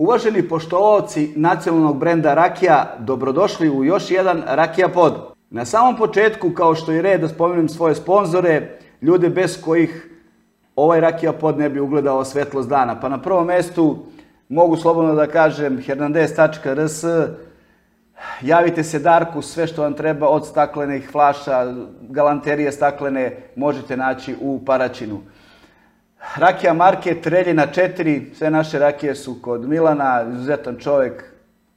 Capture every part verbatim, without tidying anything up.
Uvaženi poštovaoci nacionalnog brenda rakija, dobrodošli u još jedan Rakija pod. Na samom početku, kao što je red, da spomenem svoje sponzore, ljude bez kojih ovaj Rakija pod ne bi ugledao svetlost dana. Pa na prvom mestu mogu slobodno da kažem hernandez tačka r s, javite se Darku, sve što vam treba od staklenih flaša, galanterije staklene možete naći u Paraćinu. Rakija Market, Reljina četiri, sve naše rakije su kod Milana, izuzetan čovjek,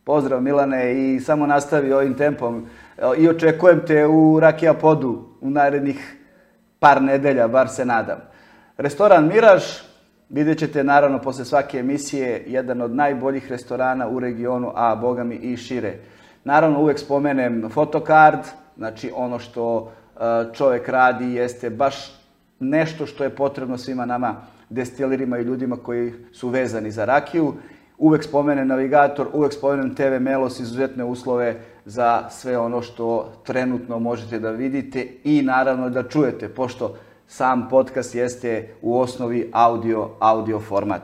pozdrav Milane i samo nastavi ovim tempom i očekujem te u Rakija podu u narednih par nedelja, bar se nadam. Restoran Miraž, vidjet ćete naravno posle svake emisije, jedan od najboljih restorana u regionu, a boga mi i šire. Naravno uvek spomenem Fotokard, znači ono što čovjek radi jeste baš nešto što je potrebno svima nama destilirima i ljudima koji su vezani za rakiju. Uvek spomenem Navigator, uvek spomenem te ve Melos, izuzetne uslove za sve ono što trenutno možete da vidite i naravno da čujete, pošto sam podcast jeste u osnovi audio, audio format.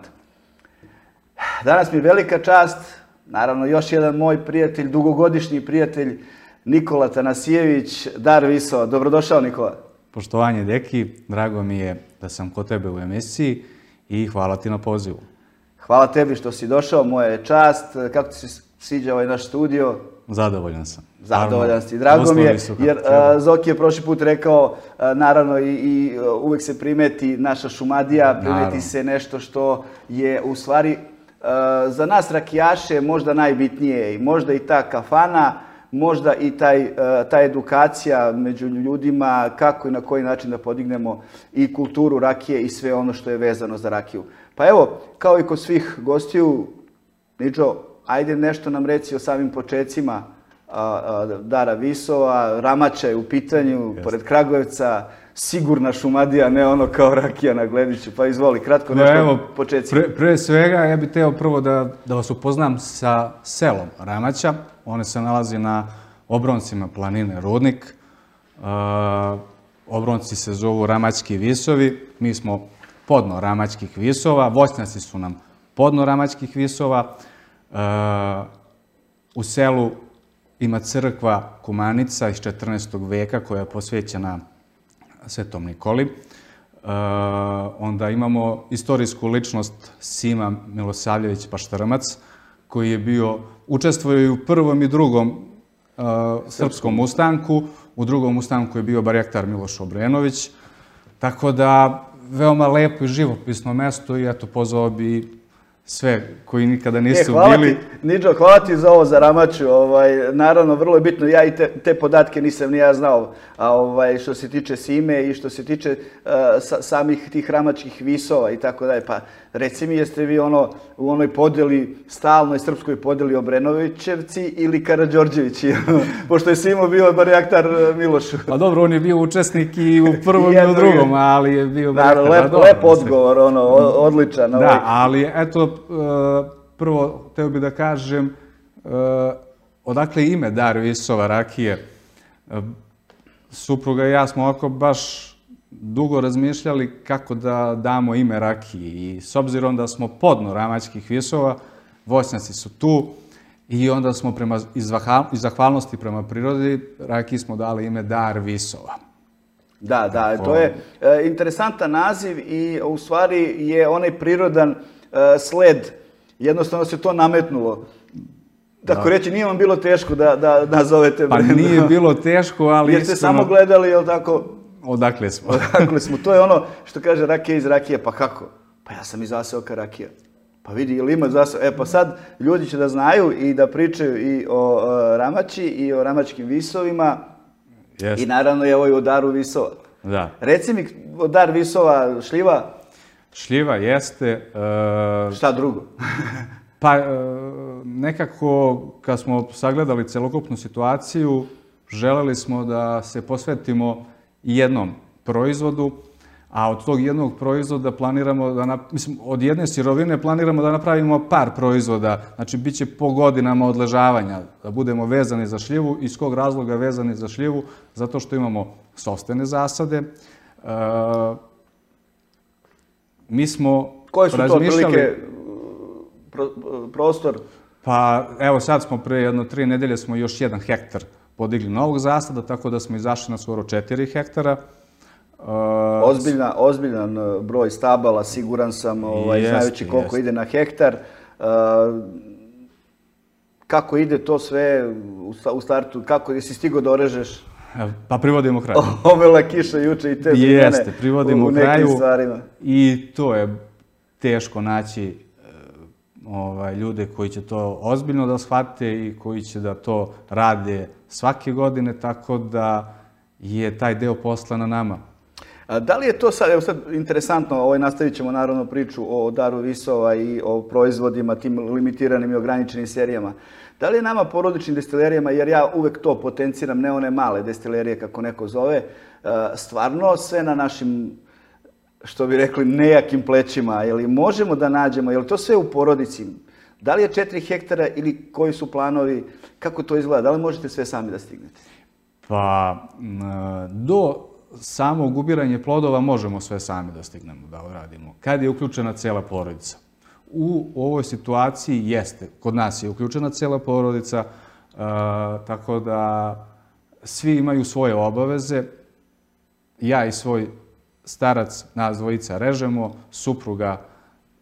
Danas mi je velika čast, naravno još jedan moj prijatelj, dugogodišnji prijatelj, Nikola Tanasijević, Dar Viso. Dobrodošao, Nikola. Poštovanje, deki, drago mi je da sam kod tebe u emisiji i hvala ti na pozivu. Hvala tebi što si došao, moja je čast. Kako ti se sviđa ovaj naš studio? Zadovoljan sam. Zadovoljan si. Drago mi je, jer Zoki je prošli put rekao, naravno i uvek se primeti naša Šumadija, primeti se nešto što je u stvari za nas rakijaše možda najbitnije i možda i ta kafana, možda i taj, ta edukacija među ljudima, kako i na koji način da podignemo i kulturu rakije i sve ono što je vezano za rakiju. Pa evo, kao i kod svih gostiju, Niđo, ajde nešto nam reci o samim počecima Dara Visova, Ramača je u pitanju, pored Kragujevca, sigurna Šumadija, ne ono kao rakija na Glediću. Pa izvoli, kratko nešto o počecima. Pre svega, ja bih teo prvo da vas upoznam sa selom Ramača. One se nalazi na obroncima planine Rudnik. Obronci se zovu Ramački visovi. Mi smo podno Ramačkih visova. Voćnjaci su nam podno Ramačkih visova. U selu ima crkva Kumanica iz četrnaestog veka koja je posvećena Svetom Nikoli. Onda imamo istorijsku ličnost Sima Milosavljević Paštrmac, koji je bio, učestvuje i u prvom i drugom srpskom ustanku. U drugom ustanku je bio barjaktar Miloš Obrenović. Tako da, veoma lepo i živopisno mesto i eto, pozvao bi sve koji nikada nisu bili. Niđo, hvala ti za ovo, za Ramaču. Naravno, vrlo je bitno. Ja i te podatke nisam ni ja znao što se tiče Sime i što se tiče samih tih Ramačkih visova i tako dalje. Pa reci mi, jeste vi u onoj podeli, stalnoj srpskoj podeli Obrenovićevci ili Karađorđevići? Pošto je Simo bio barjaktar Milošu. Pa dobro, on je bio učesnik i u prvom i u drugom, ali je bio barjaktar. Naravno, lep odgovor, odličan. Da, ali eto, prvo, teo bih da kažem, odakle ime Dar Visova rakije. Supruga i ja smo ovako baš dugo razmišljali kako da damo ime rakiji i s obzirom da smo podno Ramačkih visova, voćnjaci su tu i onda smo iz zahvalnosti prema prirodi rakiji smo dali ime Dar Visova. Da, da, to je interesantan naziv i u stvari je onaj prirodan sled, jednostavno se to nametnulo. Tako reći, nije vam bilo teško da nazovete brenda? Pa nije bilo teško, ali... Jer ste samo gledali, jel tako? Odakle smo? Odakle smo. To je ono što kaže rakija iz rakije. Pa kako? Pa ja sam iz zaseoka rakija. Pa vidi, ili ima zaseoka? E pa sad ljudi će da znaju i da pričaju i o Ramači i o Ramačkim visovima i naravno i o Daru Visova. Da. Reci mi, Dar Visova, šljiva? Šljiva jeste... Šta drugo? Pa nekako kad smo sagledali celokupnu situaciju, želeli smo da se posvetimo jednom proizvodu, a od tog jednog proizvoda planiramo da, mislim, od jedne sirovine planiramo da napravimo par proizvoda, znači bit će po godinama odležavanja, da budemo vezani za šljivu. Iz kog razloga vezani za šljivu? Zato što imamo sopstvene zasade. Mi smo Koje su to otprilike prostor? Pa evo sad smo pre jedno tri nedelje smo još jedan hektar podigli novog zasada, tako da smo izašli na skoro četiri hektara. Ozbiljna, ozbiljan broj stabala, siguran sam, ovaj, znajući koliko ide na hektar. Kako ide to sve u startu? Kako, jesi stigao da orežeš? Pa privodimo kraju. Omela kiša juče i te zimene. Jeste, privodimo kraju stvarima. I to je teško naći ovaj, ljude koji će to ozbiljno da shvate i koji će da to rade svake godine, tako da je taj deo posla na nama. A da li je to sad, evo sad interesantno, ovaj, nastavit ćemo naravno priču o daru Visova i o proizvodima, tim limitiranim i ograničenim serijama. Da li je nama porodičnim destilerijama, jer ja uvek to potenciram, ne one male destilerije kako neko zove, stvarno sve na našim, što bi rekli, nejakim plećima, je li možemo da nađemo, je li to sve u porodici? Da li je četiri hektara ili koji su planovi, kako to izgleda, da li možete sve sami da stignete? Pa, do samog ubiranja plodova možemo sve sami da stignemo, da odradimo. Kad je uključena cela porodica? U ovoj situaciji jeste, kod nas je uključena cela porodica, tako da svi imaju svoje obaveze. Ja i svoj starac, nas dvojica režemo, supruga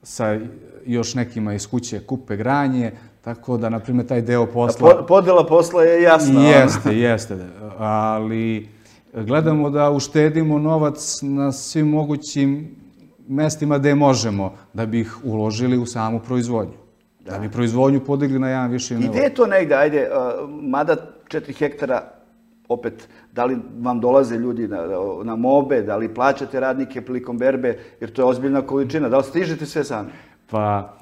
sa još nekima iz kuće kupe granje, tako da, na primjer, taj deo posla... Podela posla je jasna. Jeste, jeste, ali gledamo da uštedimo novac na svim mogućim mestima gde možemo, da bi ih uložili u samu proizvodnju. Da bi proizvodnju podigli na jedan viši nivo. I gde je to negde, ajde, mada četiri hektara, opet, da li vam dolaze ljudi na mobe, da li plaćate radnike prilikom berbe, jer to je ozbiljna količina, da li stižete sve sami? Pa,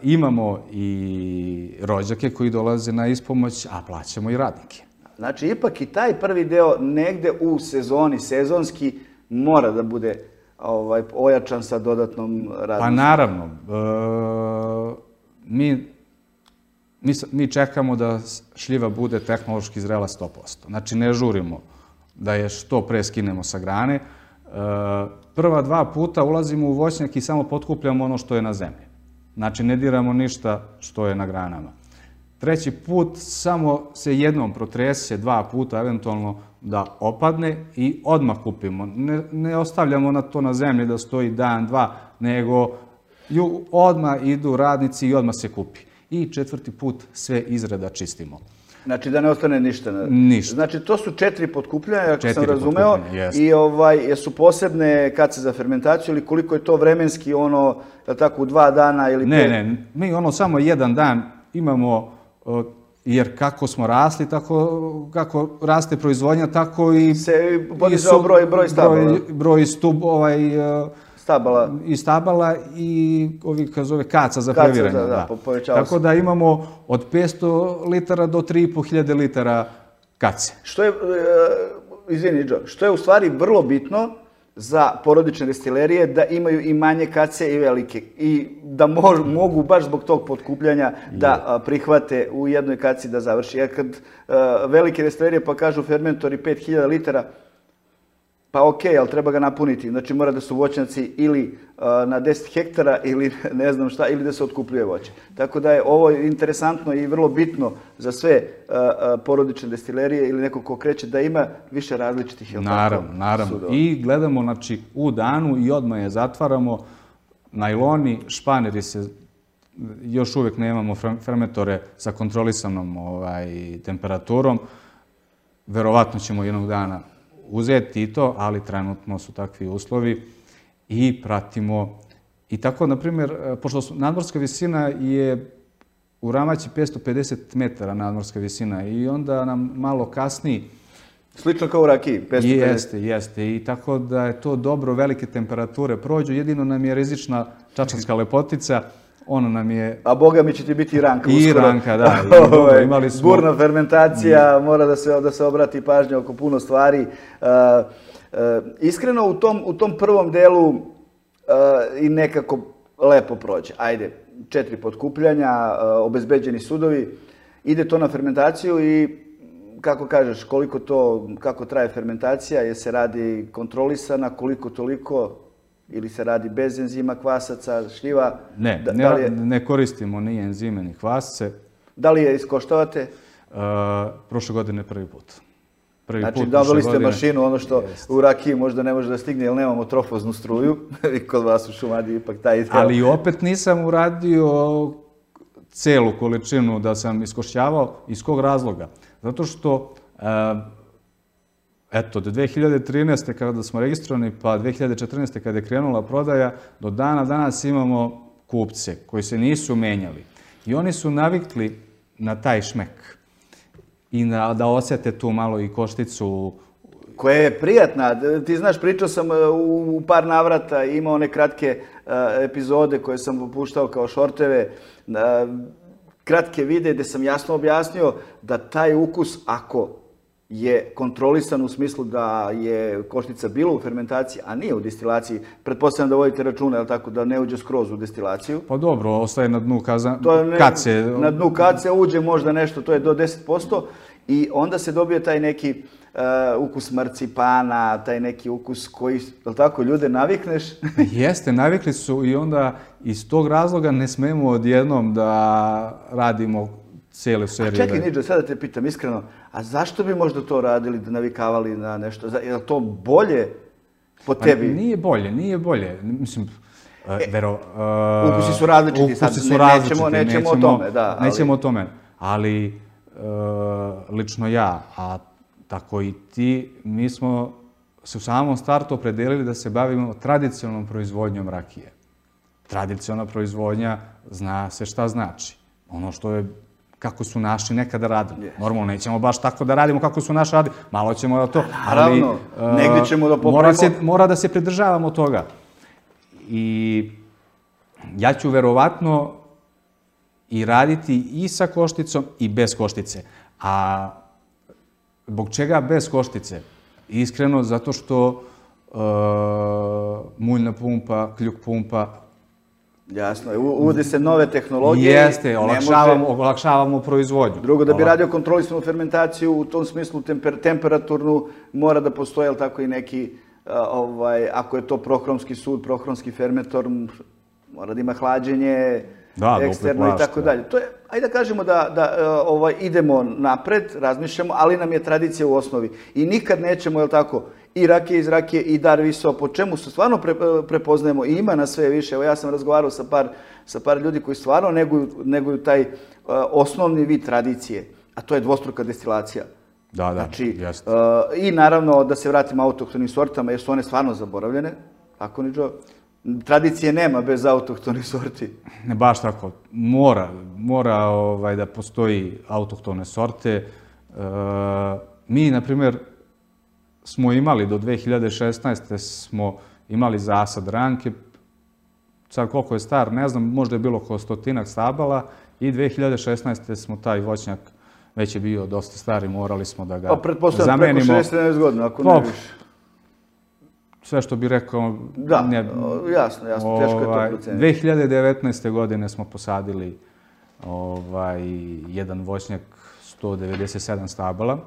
imamo i rođake koji dolaze na ispomoć, a plaćamo i radnike. Znači, ipak i taj prvi deo negde u sezoni, sezonski, mora da bude ojačan sa dodatnom radnicom. Pa naravno. Mi čekamo da šljiva bude tehnološki zrela sto posto. Znači, ne žurimo da je što pre skinemo sa grane. Prva dva puta ulazimo u voćnjak i samo potkupljamo ono što je na zemlji. Znači, ne diramo ništa što je na granama. Treći put samo se jednom protrese, dva puta eventualno da opadne i odmah kupimo. Ne ostavljamo na to na zemlji da stoji dan, dva, nego odmah idu radnici i odmah se kupi. I četvrti put sve izreda čistimo. Znači da ne ostane ništa? Ništa. Znači to su četiri potkupljanja, ako sam razumeo, i jesu posebne kace za fermentaciju ili koliko je to vremenski, ono, tako, u dva dana ili pet? Ne, ne, mi ono samo jedan dan imamo, jer kako smo rasli, kako raste proizvodnja, tako i... Se podizao broj stabala? Broj stub, ovaj... Stabala. I stabala i ovih, kao zove, kaca za previranje. Kaca, da, povećava se. Tako da imamo od petsto litara do tri i po hiljade litara kace. Što je, izvini, Džo, što je u stvari vrlo bitno za porodične destilerije, da imaju i manje kace i velike. I da mogu baš zbog tog potkupljanja da prihvate u jednoj kaci da završi. Jer kad velike destilerije pa kažu fermentori pet hiljada litara, pa okej, ali treba ga napuniti. Znači mora da su voćnjaci ili na deset hektara ili ne znam šta, ili da se otkupljuje voće. Tako da je ovo interesantno i vrlo bitno za sve porodične destilerije ili neko ko kreće da ima više različitih, jel tako? Naravno, naravno. I gledamo, znači, u danu i odmah je zatvaramo. Najloni, španeri se, još uvek nemamo fermentore sa kontrolisanom temperaturom. Verovatno ćemo jednog dana uzeti i to, ali trenutno su takvi uslovi i pratimo. I tako, na primjer, pošto nadmorska visina je u Ramaći petsto pedeset metara nadmorska visina i onda nam malo kasni. Slično kao u rakiji, petsto pedeset. Jeste, jeste. I tako da je to dobro, velike temperature prođu. Jedino nam je rizična čačanska lepotica. Ono nam je... A boga mi će ti biti i ranka. I ranka, da. Burna fermentacija, mora da se obrati pažnja oko puno stvari. Iskreno, u tom prvom delu i nekako lepo prođe. Ajde, četiri potkupljanja, obezbeđeni sudovi, ide to na fermentaciju i kako kažeš, koliko to, kako traje fermentacija, je se radi kontrolisana, koliko toliko... ili se radi bez enzima, kvasaca, šljiva? Ne, da, ne, da li je, ne koristimo ni enzime, ni kvasce. Da li je iskoštavate? Uh, prošle godine prvi put. Prvi Znači, put dobili ste godine. mašinu, ono što Jest. u rakiji možda ne može da stigne, jer nemamo trofoznu struju. I kod vas u Šumadiji ipak taj deo. Ali opet nisam uradio celu količinu da sam iskošćavao. Iz kog razloga? Zato što, uh, eto, do dve hiljade trinaeste kada smo registrovani, pa dve hiljade četrnaeste kada je krenula prodaja, do dana danas imamo kupce koji se nisu menjali. I oni su navikli na taj šmek i na, da osjete tu malo i košticu. Koja je prijatna. Ti znaš, pričao sam u par navrata, imao one kratke uh, epizode koje sam puštao kao šorteve, uh, kratke videe gde sam jasno objasnio da taj ukus, ako je kontrolisan u smislu da je koštica bila u fermentaciji, a nije u destilaciji, pretpostavljam da vodite računa, je li tako, da ne uđe skroz u destilaciju. Pa dobro, ostaje na dnu kaza, ne, kace. Na dnu kace uđe možda nešto, to je do deset posto i onda se dobije taj neki uh, ukus marcipana, taj neki ukus koji, je li tako, ljude navikneš? Jeste, navikli su i onda iz tog razloga ne smemo odjednom da radimo cijelu seriju. A čekaj, Niđo, sada te pitam iskreno, a zašto bi možda to radili, da navikavali na nešto? Je li to bolje po tebi? Pa nije bolje, nije bolje. Mislim, uh, vero... Uh, ukusi su različiti, ukusi sad su ne, različiti, nećemo, nećemo, nećemo o tome. Da, ali... Nećemo o tome, ali uh, lično ja, a tako i ti, mi smo se u samom startu opredelili da se bavimo tradicionalnom proizvodnjom rakije. Tradicionalna proizvodnja zna se šta znači. Ono što je kako su naši nekada radili. Yes. Normalno, nećemo baš tako da radimo kako su naši radili. Malo ćemo da to... Naravno, ali, negdje ćemo da popravimo. Mora, se, mora da se pridržavamo toga. I ja ću verovatno i raditi i sa košticom i bez koštice. A zbog čega bez koštice? Iskreno, zato što uh, muljna pumpa, kljuk pumpa, jasno, uvode se nove tehnologije. Jeste, olakšavamo, može... olakšavamo proizvodnju. Drugo, da bi radio kontrolisanu fermentaciju, u tom smislu temper, temperaturnu, mora da postoje, ali tako i neki, ovaj, ako je to prohromski sud, prohromski fermentor, mora da ima hlađenje, da, eksterno i tako dalje. To je, ajde da kažemo da, da ovaj, idemo napred, razmišljamo, ali nam je tradicija u osnovi. I nikad nećemo, je li tako, i rakije iz rakije i dar viso, po čemu se stvarno pre, prepoznajemo i ima na sve više. Evo ja sam razgovarao sa par, sa par ljudi koji stvarno neguju, neguju taj uh, osnovni vid tradicije, a to je dvostruka destilacija. Da, da, znači, jeste. Uh, I naravno da se vratimo autohtonim sortama, jer su one stvarno zaboravljene. Tako, Niđo? Tradicije nema bez autohtonih sorti. Ne baš tako. Mora, mora ovaj, da postoji autohtone sorte. E, mi, na primjer, smo imali do dve hiljade šesnaeste smo imali zasad ranke. Sad koliko je star, ne znam, možda je bilo oko stotinak stabala i dve hiljade šesnaeste smo taj voćnjak, već je bio dosta star i morali smo da ga zamenimo. Pa pretpostavljam preko šezdeset sedamdeset godina, ako ne više. Sve što bih rekao... Da, ne, jasno, jasno, teško je to proceniti. dve hiljade devetnaeste. godine smo posadili ovaj, jedan voćnjak sto devedeset sedam stabala.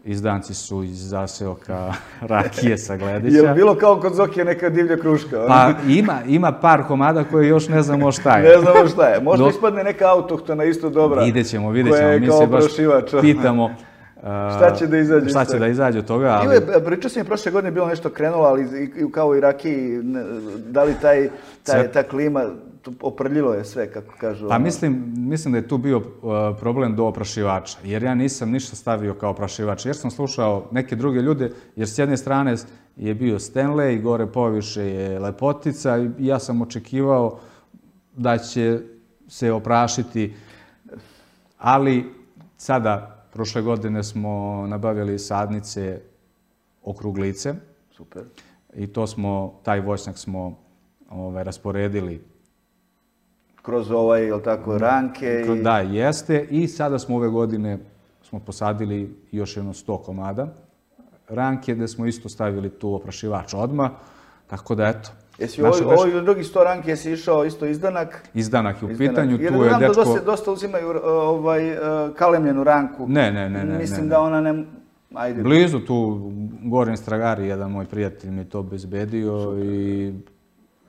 Izdanci su iz zaseoka rakije sa Gledića. Je li bilo kao kod Zokije neka divlja kruška? Pa ima, ima par komada koje još ne znamo šta je. Ne znamo šta je. Možda Do... ispadne neka autohtona isto dobra. Vidjet ćemo, vidjet ćemo. Mi se baš pitamo šta će da izađe. Šta će da izađe od toga, ali... Ili, pričao sam je prošle godine bilo nešto krenulo, ali kao i rakiji, da li taj, taj, ta klima, oprljilo je sve, kako kažu. Pa mislim, mislim da je tu bio problem do oprašivača, jer ja nisam ništa stavio kao oprašivač, jer sam slušao neke druge ljude, jer s jedne strane je bio Stanley, gore poviše je Lepotica i ja sam očekivao da će se oprašiti, ali sada, prošle godine smo nabavili sadnice okruglice. Super. I to smo, taj voćnjak smo ovaj, rasporedili. Kroz ovaj, je li tako, ranke? I... Da, jeste. I sada smo ove godine smo posadili još jedno sto komada ranke, gde smo isto stavili tu oprašivač odmah. Tako da, eto. Jesi ovo drugi sto ranke, jesi išao isto izdanak? Izdanak je u pitanju, tu je dečko... Jer dosta uzimaju kalemljenu ranku. Ne, ne, ne. Mislim da ona Ajde. Blizu tu, Gorin Stragari, jedan moj prijatelj mi je to obezbedio i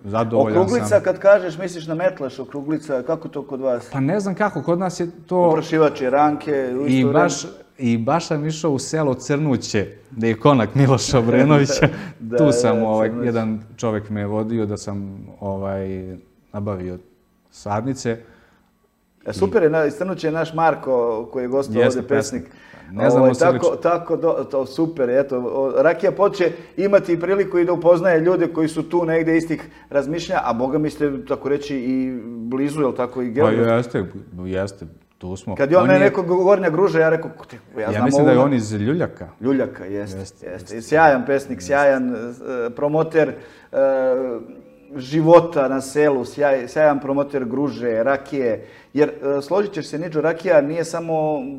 zadovoljan sam. Okruglica, kad kažeš, misliš na metlaš, okruglica, kako to kod vas? Pa ne znam kako, kod nas je to... Oprašivače, ranke, u I isto baš, I baš sam išao u selo Crnuće, gde je konak Miloša Obrenovića. Da, tu sam, da, ovaj, Crnuć. jedan čovek me je vodio da sam ovaj, nabavio sadnice. E, super je, na- iz Crnuća je naš Marko koji je gostao Jeste ovdje pesnik. Ne znamo Ovaj, se tako, lično. tako do, to super, eto, o, Rakija Pod imati priliku i da upoznaje ljude koji su tu negdje istih razmišljanja, a boga mi ste, tako reći, i blizu, jel tako, i Pa geografski. jeste, jeste, tu smo. Kad je on, On mene je- neko Gornja Gruža, ja rekao, "Te, ja, Ja znam mislim da je ovo." on iz Ljuljaka. Ljuljaka, jeste, Jeste, jeste. Sjajan pesnik, sjajan e, promoter e, života na selu, sjaj, sjajan promoter Gruže, rakije. Jer, e, složit ćeš se, Niđo, rakija nije samo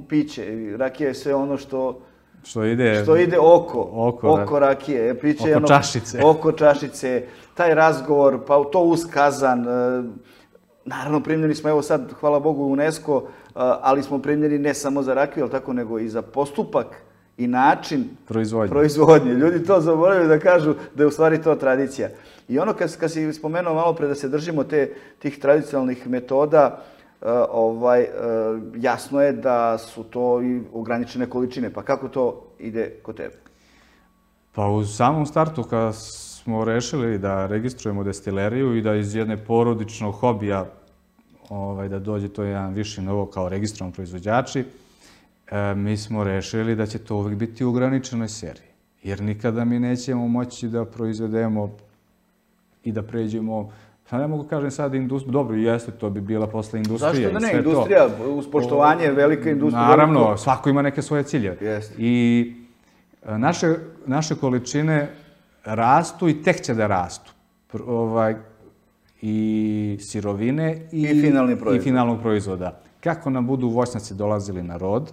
piće. Rakija je sve ono što, Što ide... što ide oko, Oko, oko rakije. Piće oko je ono, čašice. Oko čašice, taj razgovor, pa to uz kazan. E, naravno, primljeni smo, evo sad, hvala Bogu, u UNESCO, e, ali smo primljeni ne samo za rakiju, ali tako, nego i za postupak i način Proizvodnje. proizvodnje. Ljudi to zaboravljaju da kažu da je u stvari to tradicija. I ono kad, kad si spomenuo malo pre da se držimo te, tih tradicionalnih metoda, uh, ovaj, uh, jasno je da su to i ograničene količine. Pa kako to ide kod tebe? Pa u samom startu kad smo rešili da registrujemo destileriju i da iz jedne porodičnog hobija ovaj, da dođe to jedan viši nivo kao registrovani proizvođači, e, mi smo rešili da će to uvijek biti u ograničenoj seriji. Jer nikada mi nećemo moći da proizvedemo i da pređemo, pa ne mogu kažem sad industriju, dobro, jeste, to bi bila posle industrija. Zašto da i ne? sve to. Industrija, uz poštovanje, velika industrija. Naravno, veliko- svako ima neke svoje ciljeve. Jeste. I e, naše, naše količine rastu i tek će da rastu. Pr- ovaj, I sirovine i, I finalni proizvod. i finalnog proizvoda. Kako nam budu voćnjaci dolazili na rod,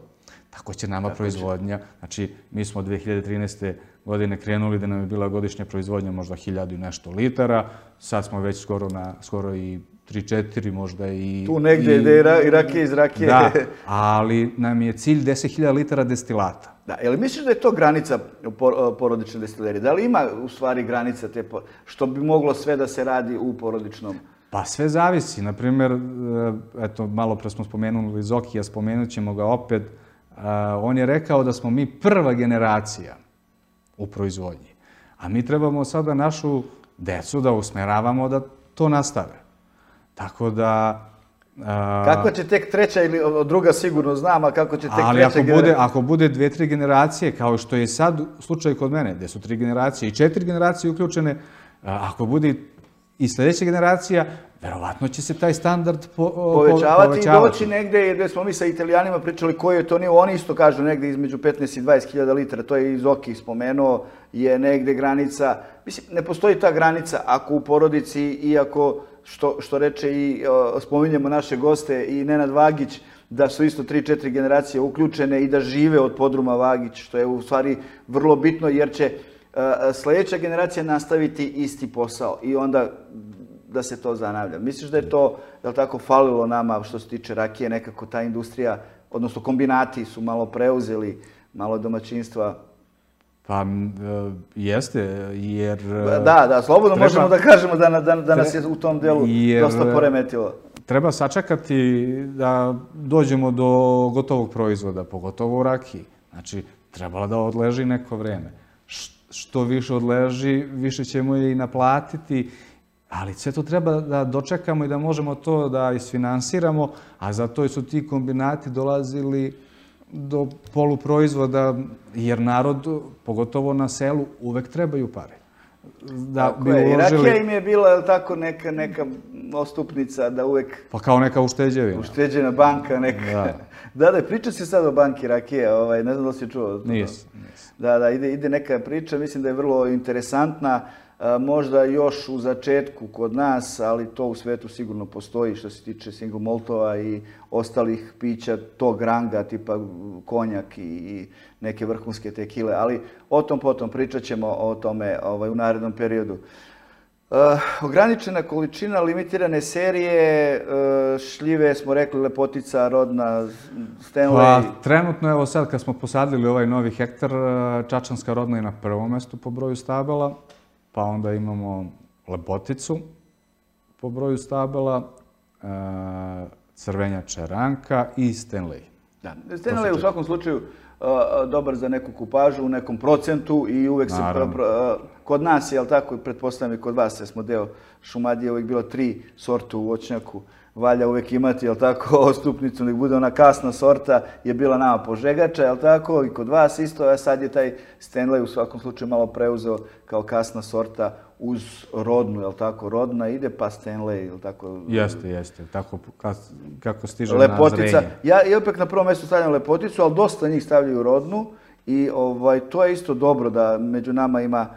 tako će nama proizvodnja. Znači, mi smo dve hiljade trinaeste. godine krenuli da nam je bila godišnja proizvodnja možda hiljadu i nešto litara. Sad smo već skoro, na, skoro i tri četiri, možda i... Tu negdje ide i, ra, i rakije iz rakije. Da, ali nam je cilj deset hiljada litara destilata. Da, je li misliš da je to granica por- porodične destilerije? Da li ima u stvari granica te, po- što bi moglo sve da se radi u porodičnom? Pa sve zavisi. Naprimjer, eto, malo pre smo spomenuli Zokija, spomenut ćemo ga opet. On je rekao da smo mi prva generacija u proizvodnji. A mi trebamo sada našu decu da usmeravamo da to nastave. Tako da... a, Kako će tek treća ili o, druga sigurno znam, a kako će tek ali treća ako bude, generacija? ako bude dve, tri generacije, kao što je sad slučaj kod mene, gde su tri generacije i četiri generacije uključene, a, ako bude i sljedeća generacija, verovatno će se taj standard po, o, Povećavati, povećavati. i doći negde gde smo mi sa Italijanima pričali koji je to nivo. Oni isto kažu negde između petnaest i dvadeset hiljada litara, to je i Zoki spomenuo, je negde granica. Mislim, ne postoji ta granica ako u porodici, iako što, što reče i o, spominjemo naše goste i Nenad Vagić, da su isto tri četiri generacije uključene i da žive od podruma Vagić, što je u stvari vrlo bitno jer će uh, sljedeća generacija nastaviti isti posao i onda da se to zanavlja. Misliš da je to, je li tako, falilo nama što se tiče rakije, nekako ta industrija, odnosno kombinati su malo preuzeli, malo domaćinstva? Pa m, e, jeste, jer... Da, da, slobodno treba- možemo da kažemo da, da, da nas je u tom delu jer- dosta poremetilo. Treba sačekati da dođemo do gotovog proizvoda, pogotovo u rakiji. Znači, trebalo da odleži neko vreme. Š- Što više odleži, više ćemo je i naplatiti, ali sve to treba da dočekamo i da možemo to da isfinansiramo, a zato su ti kombinati dolazili do poluproizvoda, jer narod, pogotovo na selu, uvek trebaju pare. Da Tako bi je. I uložili, rakija im je bila, je li tako, neka, neka ostupnica da uvek pa kao neka ušteđevina. ušteđena banka neka. Da. Da, da, priča se sad o banki rakije, ovaj, ne znam da li si čuo. Nisam, nisam. Da, da, ide, ide neka priča, mislim da je vrlo interesantna, a, možda još u začetku kod nas, ali to u svetu sigurno postoji što se tiče single maltova i ostalih pića tog ranga, tipa konjak i, i neke vrhunske tekile, ali o tom potom pričat ćemo o tome ovaj, u narednom periodu. Uh, ograničena količina, limitirane serije, uh, šljive smo rekli, lepotica, rodna, Stanley? Pa, trenutno, evo sad kad smo posadili ovaj novi hektar, Čačanska rodna je na prvom mestu po broju stabala, pa onda imamo Lepoticu po broju stabala, Crvenjača Ranka i Stanley. Da, Stanley je u svakom slučaju dobar za neku kupažu u nekom procentu i uvek se... Kod nas je, ali tako, pretpostavljam i kod vas, jer smo deo Šumadije, uvek bilo tri sorte u voćnjaku. Valja uvek imati, jel tako, ostupnicu, nek bude ona kasna sorta, je bila nama požegača, jel tako, i kod vas isto, a sad je taj Stanley u svakom slučaju malo preuzeo kao kasna sorta uz rodnu, jel tako, rodna ide pa Stanley, jel tako? Jeste, jeste, tako kako stiže na zrenje. Ja opet na prvom mjestu stavljam Lepoticu, ali dosta njih stavljaju rodnu i to je isto dobro da među nama ima,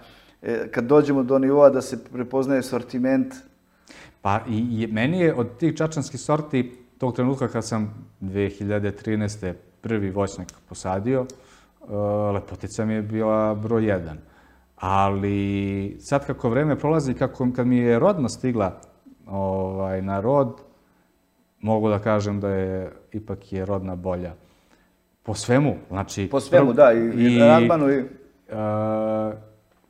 kad dođemo do nivoa da se prepoznaje sortiment. Pa i meni je od tih čačanskih sorti, tog trenutka kad sam dve hiljade trinaeste. prvi voćnjak posadio, Lepotica mi je bila broj jedan. Ali sad kako vreme prolazi, kad mi je rodna stigla na rod, mogu da kažem da je ipak je rodna bolja. Po svemu, znači... Po svemu, da, i radmanu i...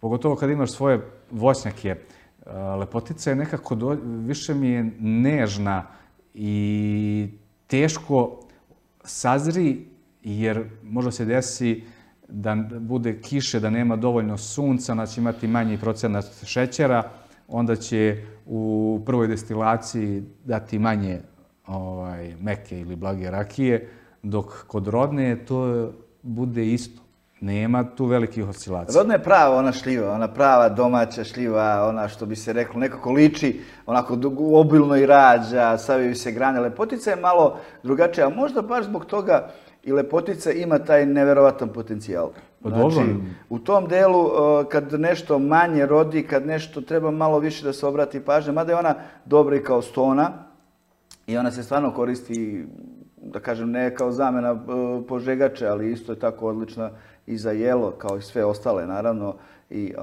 Pogotovo kad imaš svoje voćnjake, Lepotica je nekako, više mi je nežna i teško sazri, jer možda se desi da bude kiše, da nema dovoljno sunca, da će imati manji procenat šećera, onda će u prvoj destilaciji dati manje meke ili blage rakije, dok kod rodne to bude isto. Nema tu velikih oscilacija. Rodna je prava ona šljiva, ona prava domaća šljiva, ona što bi se reklo, nekako liči, onako obilno i rađa, saviju se grane. Lepotica je malo drugačija, a možda baš zbog toga i Lepotica ima taj neverovatan potencijal. Znači, u tom delu, kad nešto manje rodi, kad nešto treba malo više da se obrati pažnja, mada je ona dobra i kao stona i ona se stvarno koristi, da kažem, ne kao zamena požegače, ali isto je tako odlična i za jelo, kao i sve ostale, naravno. I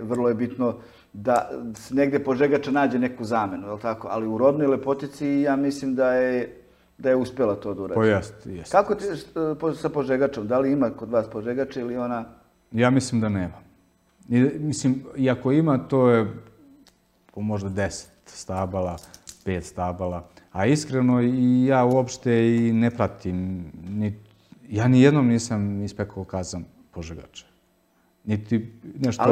vrlo je bitno da negde požegača nađe neku zamenu, je li tako? Ali u rodnoj Lepotici ja mislim da je da je uspjela to da uradi. Pa jeste, jeste. Kako ti sa požegačom? Da li ima kod vas požegača ili ona... Ja mislim da nema. Mislim, i ako ima, to je možda deset stabala, pet stabala. A iskreno, i ja uopšte i ne pratim. Ja nijednom nisam ispekao kazan požegača. Niti nešto...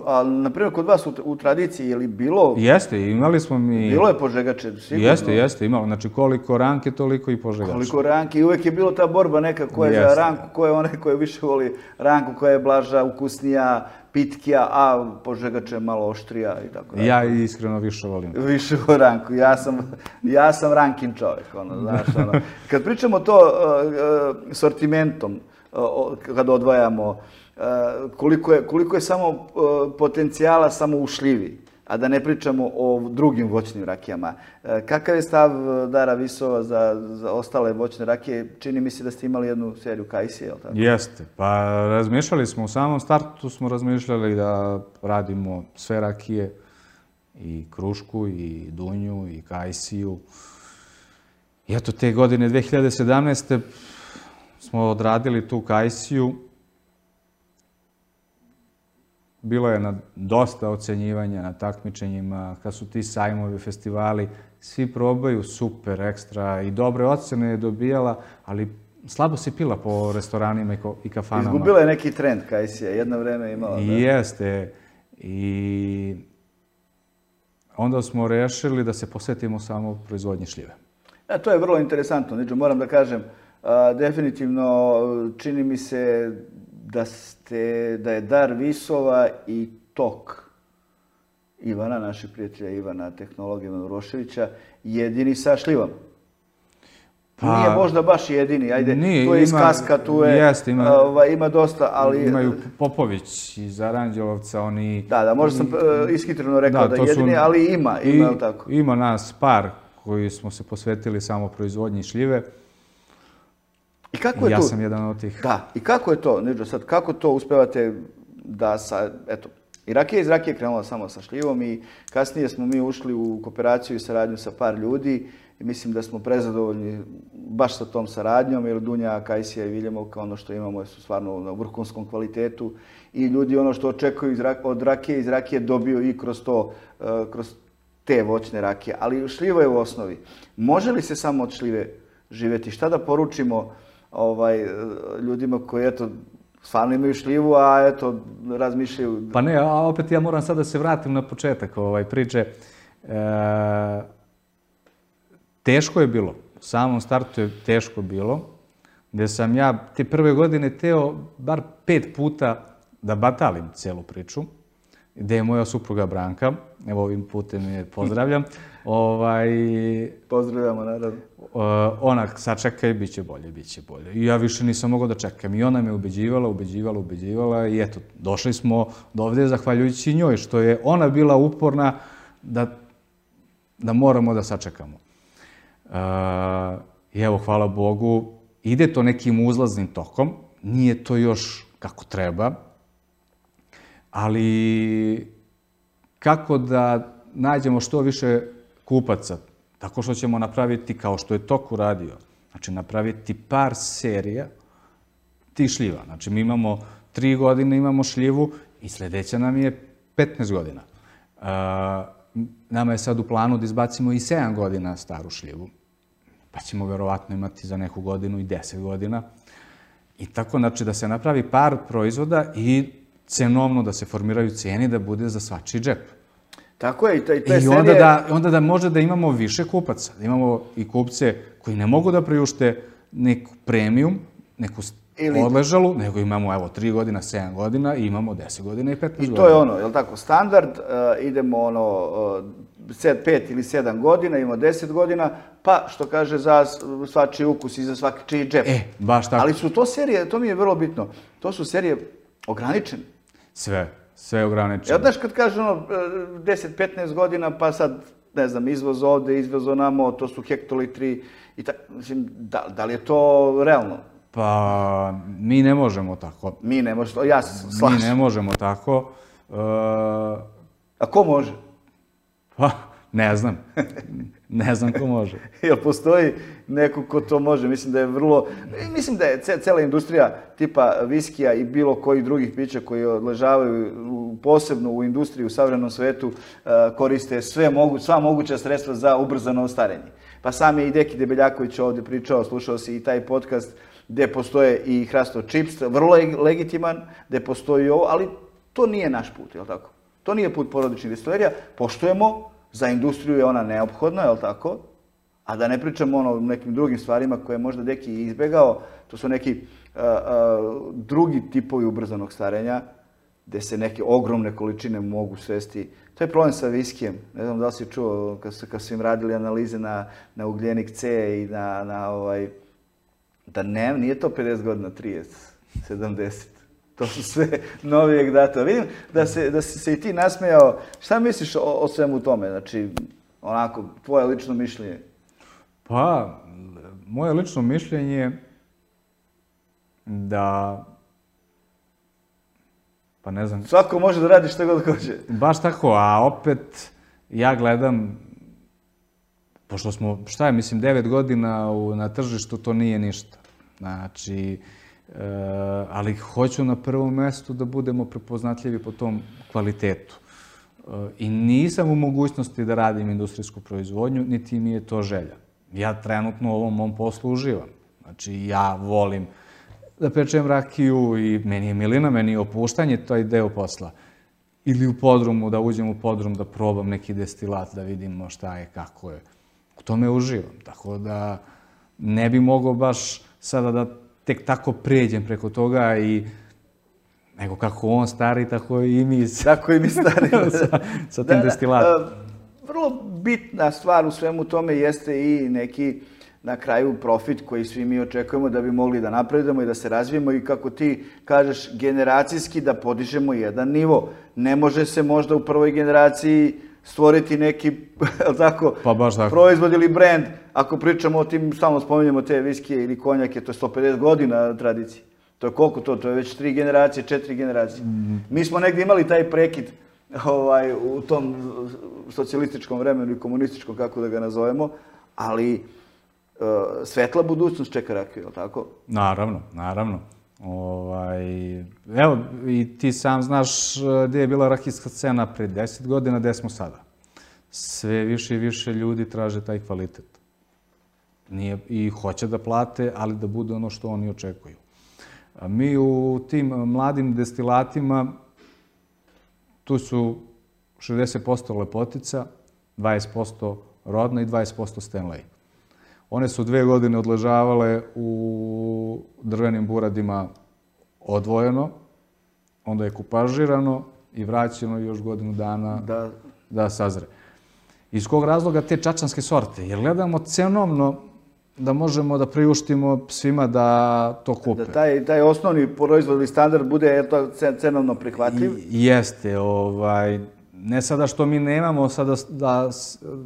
Ali, na primjer, kod vas u tradiciji je li bilo... Jeste, imali smo mi... Bilo je požegače, sigurno. Jeste, jeste, imalo. Znači, koliko ranke, toliko i požegača. Koliko ranke. I uvek je bilo ta borba neka ko je za ranku, ko je onaj koji više voli ranku, koja je blaža, ukusnija, pitkija, a požegač je malo oštrija i tako da. Ja iskreno više volim. Više volim ranku. Ja sam rankin čovjek, ono, znaš, ono. Kad pričamo to sortimentom, kad odvajamo, koliko je samo potencijala samo u šljivi, a da ne pričamo o drugim voćnim rakijama. Kakav je stav Dara Visova za ostale voćne rakije? Čini mi se da ste imali jednu seriju Kajsije, je li tako? Jeste. Pa razmišljali smo, u samom startu smo razmišljali da radimo sve rakije, i Krušku, i Dunju, i Kajsiju. I eto, te godine dve hiljade sedamnaeste. smo odradili tu Kajsiju. Bilo je na dosta ocenjivanja na takmičenjima, kad su ti sajmovi, festivali, svi probaju super, ekstra i dobre ocene je dobijala, ali slabo se pila po restoranima i kafanama. Izgubila je neki trend Kajsija, jedno vreme je imala. Jeste. I onda smo rešili da se posvetimo samo proizvodnji šljive. To je vrlo interesantno. Moram da kažem, definitivno čini mi se da ste, da je dar Visova i tok Ivana, našeg prijatelja Ivana, tehnologa Ivana Uroševića, jedini sa šljivom. Nije možda baš jedini, ajde, tu je iz Kaska, tu je, ima dosta, ali... Imaju Popović iz Aranđelovca, oni... Da, da, možda sam ishitreno rekao da je jedini, ali ima, ima, je li tako? Ima nas par koji smo se posvetili samo proizvodnji šljive. I kako je ja to? sam jedan od tih. Da, i kako je to, Neđo, sad, kako to uspevate da sa, eto, i rakija iz rakije krenula samo sa šljivom i kasnije smo mi ušli u kooperaciju i saradnju sa par ljudi i mislim da smo prezadovoljni baš sa tom saradnjom, jer Dunja, Kajsija i Viljemovka, ono što imamo su stvarno na vrhunskom kvalitetu i ljudi ono što očekuju od rakije iz rakije dobiju i kroz to, kroz te voćne rakije. Ali šljivo je u osnovi. Može li se samo od šljive živjeti? Šta da poručimo ovaj, ljudima koji, eto, stvarno imaju šljivu, a eto, razmišljaju... Pa ne, a opet ja moram sad da se vratim na početak ovaj, priče. E, teško je bilo. U samom startu je teško bilo. Gde sam ja te prve godine teo bar pet puta da batalim celu priču. Gde je moja supruga Branka. Evo ovim putem je pozdravljam. Ovaj, Pozdravljamo, naravno. Ona sačekaj, bit će bolje, bit će bolje. I ja više nisam mogao da čekam. I ona me ubeđivala, ubeđivala, ubeđivala i eto, došli smo do ovde zahvaljujući njoj, što je ona bila uporna da, da moramo da sačekamo. Uh, I evo, hvala Bogu, ide to nekim uzlaznim tokom, nije to još kako treba, ali kako da nađemo što više kupaca? Tako što ćemo napraviti, kao što je Tok uradio, znači napraviti par serija tih šljiva. Znači mi imamo tri godine, imamo šljivu i sljedeća nam je petnaest godina. Uh, nama je sad u planu da izbacimo i sedam godina staru šljivu, pa ćemo verovatno imati za neku godinu i deset godina. I tako, znači, da se napravi par proizvoda i cenovno da se formiraju ceni da bude za svačiji džep. Tako je, i te serije... I onda da, onda da može da imamo više kupaca, da imamo i kupce koji ne mogu da priušte neku premium, neku Ili... odležalu, nego imamo, evo, tri godina, sedam godina i imamo deset godina i petnaest godina. I to je ono, je li tako, standard, uh, idemo ono, uh, pet ili sedam godina, imamo deset godina, pa što kaže za svačiji ukus i za svaki džep. E, baš tako. Ali su to serije, to mi je vrlo bitno, to su serije ograničene. Sve, sve ograničene. Ja, znaš, kad kaže ono, deset petnaest godina, pa sad, ne znam, izvoz ovde, izvoz onamo, to su hektolitri i tako, mislim, da, da li je to realno? Pa, mi ne možemo tako. Mi ne možemo, ja se slažem. Mi ne možemo tako. Uh, A ko može? Pa, ne znam. Ne znam ko može. Jel postoji neko ko to može? Mislim da je vrlo... Mislim da je cela industrija tipa viskija i bilo kojih drugih pića koji odležavaju posebno u industriji u savremenom svetu koriste sve mogu, sva moguća sredstva za ubrzano starenje. Pa sam je i Deki Debeljaković ovdje pričao, slušao si i taj podcast gde postoje i hrastov čips, vrlo je legitiman, gde postoji ovo, ali to nije naš put, jel tako? To nije put porodičnih destilerija. Poštujemo, za industriju je ona neophodna, jel tako? A da ne pričamo ono nekim drugim stvarima koje je možda Deki izbegao, to su neki uh, uh, drugi tipovi ubrzanog starenja, gde se neke ogromne količine mogu svesti. To je problem sa viskijem. Ne znam da li si čuo kad su, kad su im radili analize na, na ugljenik C i na, na ovaj... Da ne, nije to pedeset godina, trideset, sedamdeset. To su sve novijeg data. Vidim da se, da si se i ti nasmejao. Šta misliš o, o svemu tome? Znači, onako, tvoje lično mišljenje? Pa, moje lično mišljenje je da... Pa ne znam... Svako može da radi što god hoće. Baš tako, a opet ja gledam, pošto smo, šta je, mislim, devet godina u, na tržištu, to nije ništa. Znači, e, ali hoću na prvom mjestu da budemo prepoznatljivi po tom kvalitetu. E, I nisam u mogućnosti da radim industrijsku proizvodnju, niti mi je to želja. Ja trenutno u ovom mom poslu uživam. Znači, ja volim da pečem rakiju i meni je milina, meni je opuštanje, to je deo posla. Ili u podrumu, da uđem u podrum, da probam neki destilat, da vidimo šta je, kako je. U tome uživam. Tako da ne bi mogao baš sada da tek tako pređem preko toga i nego kako on stari, tako i mi. Tako i mi stari. sa, sa tim destilatom. Vrlo bitna stvar u svemu tome jeste i neki na kraju profit koji svi mi očekujemo da bi mogli da napredujemo i da se razvijemo i kako ti kažeš generacijski da podižemo jedan nivo. Ne može se možda u prvoj generaciji stvoriti neki tako, pa baš tako. Proizvod ili brend. Ako pričamo o tim, stalno spominjemo te viskije ili konjake, to je sto pedeset godina tradicije. To je koliko to? To je već tri generacije, četiri generacije. Mm. Mi smo negdje imali taj prekid ovaj, u tom socijalističkom vremenu i komunističkom, kako da ga nazovemo, ali svetla budućnost čeka rakiju, je li tako? Naravno, naravno. Ovaj, evo, i ti sam znaš gdje je bila rakijska scena pre deset godina, gdje smo sada. Sve više i više ljudi traže taj kvalitet. Nije, i hoće da plate, ali da bude ono što oni očekuju. A mi u tim mladim destilatima, tu su šezdeset posto lepotica, dvadeset posto rodna i dvadeset posto Stanley. One su dve godine odležavale u drvenim buradima odvojeno, onda je kupažirano i vraćeno još godinu dana da, da sazre. Iz kog razloga te čačanske sorte? Jer gledamo cenovno da možemo da priuštimo svima da to kupe. Da taj, taj osnovni proizvodni standard bude to cenovno prihvatljiv? I, jeste. Ovaj, ne sada što mi nemamo sada da,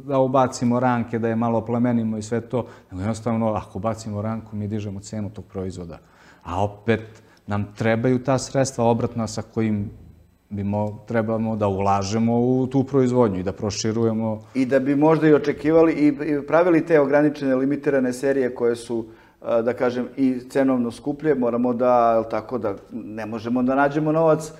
da ubacimo ranke, da je malo plemenimo i sve to, nego jednostavno ako bacimo ranku mi dižemo cenu tog proizvoda. A opet nam trebaju ta sredstva obratna sa kojim bimo, trebamo da ulažemo u tu proizvodnju i da proširujemo. I da bi možda i očekivali i pravili te ograničene, limitirane serije koje su, da kažem, i cenovno skuplje. Moramo da, tako da, ne možemo da nađemo novac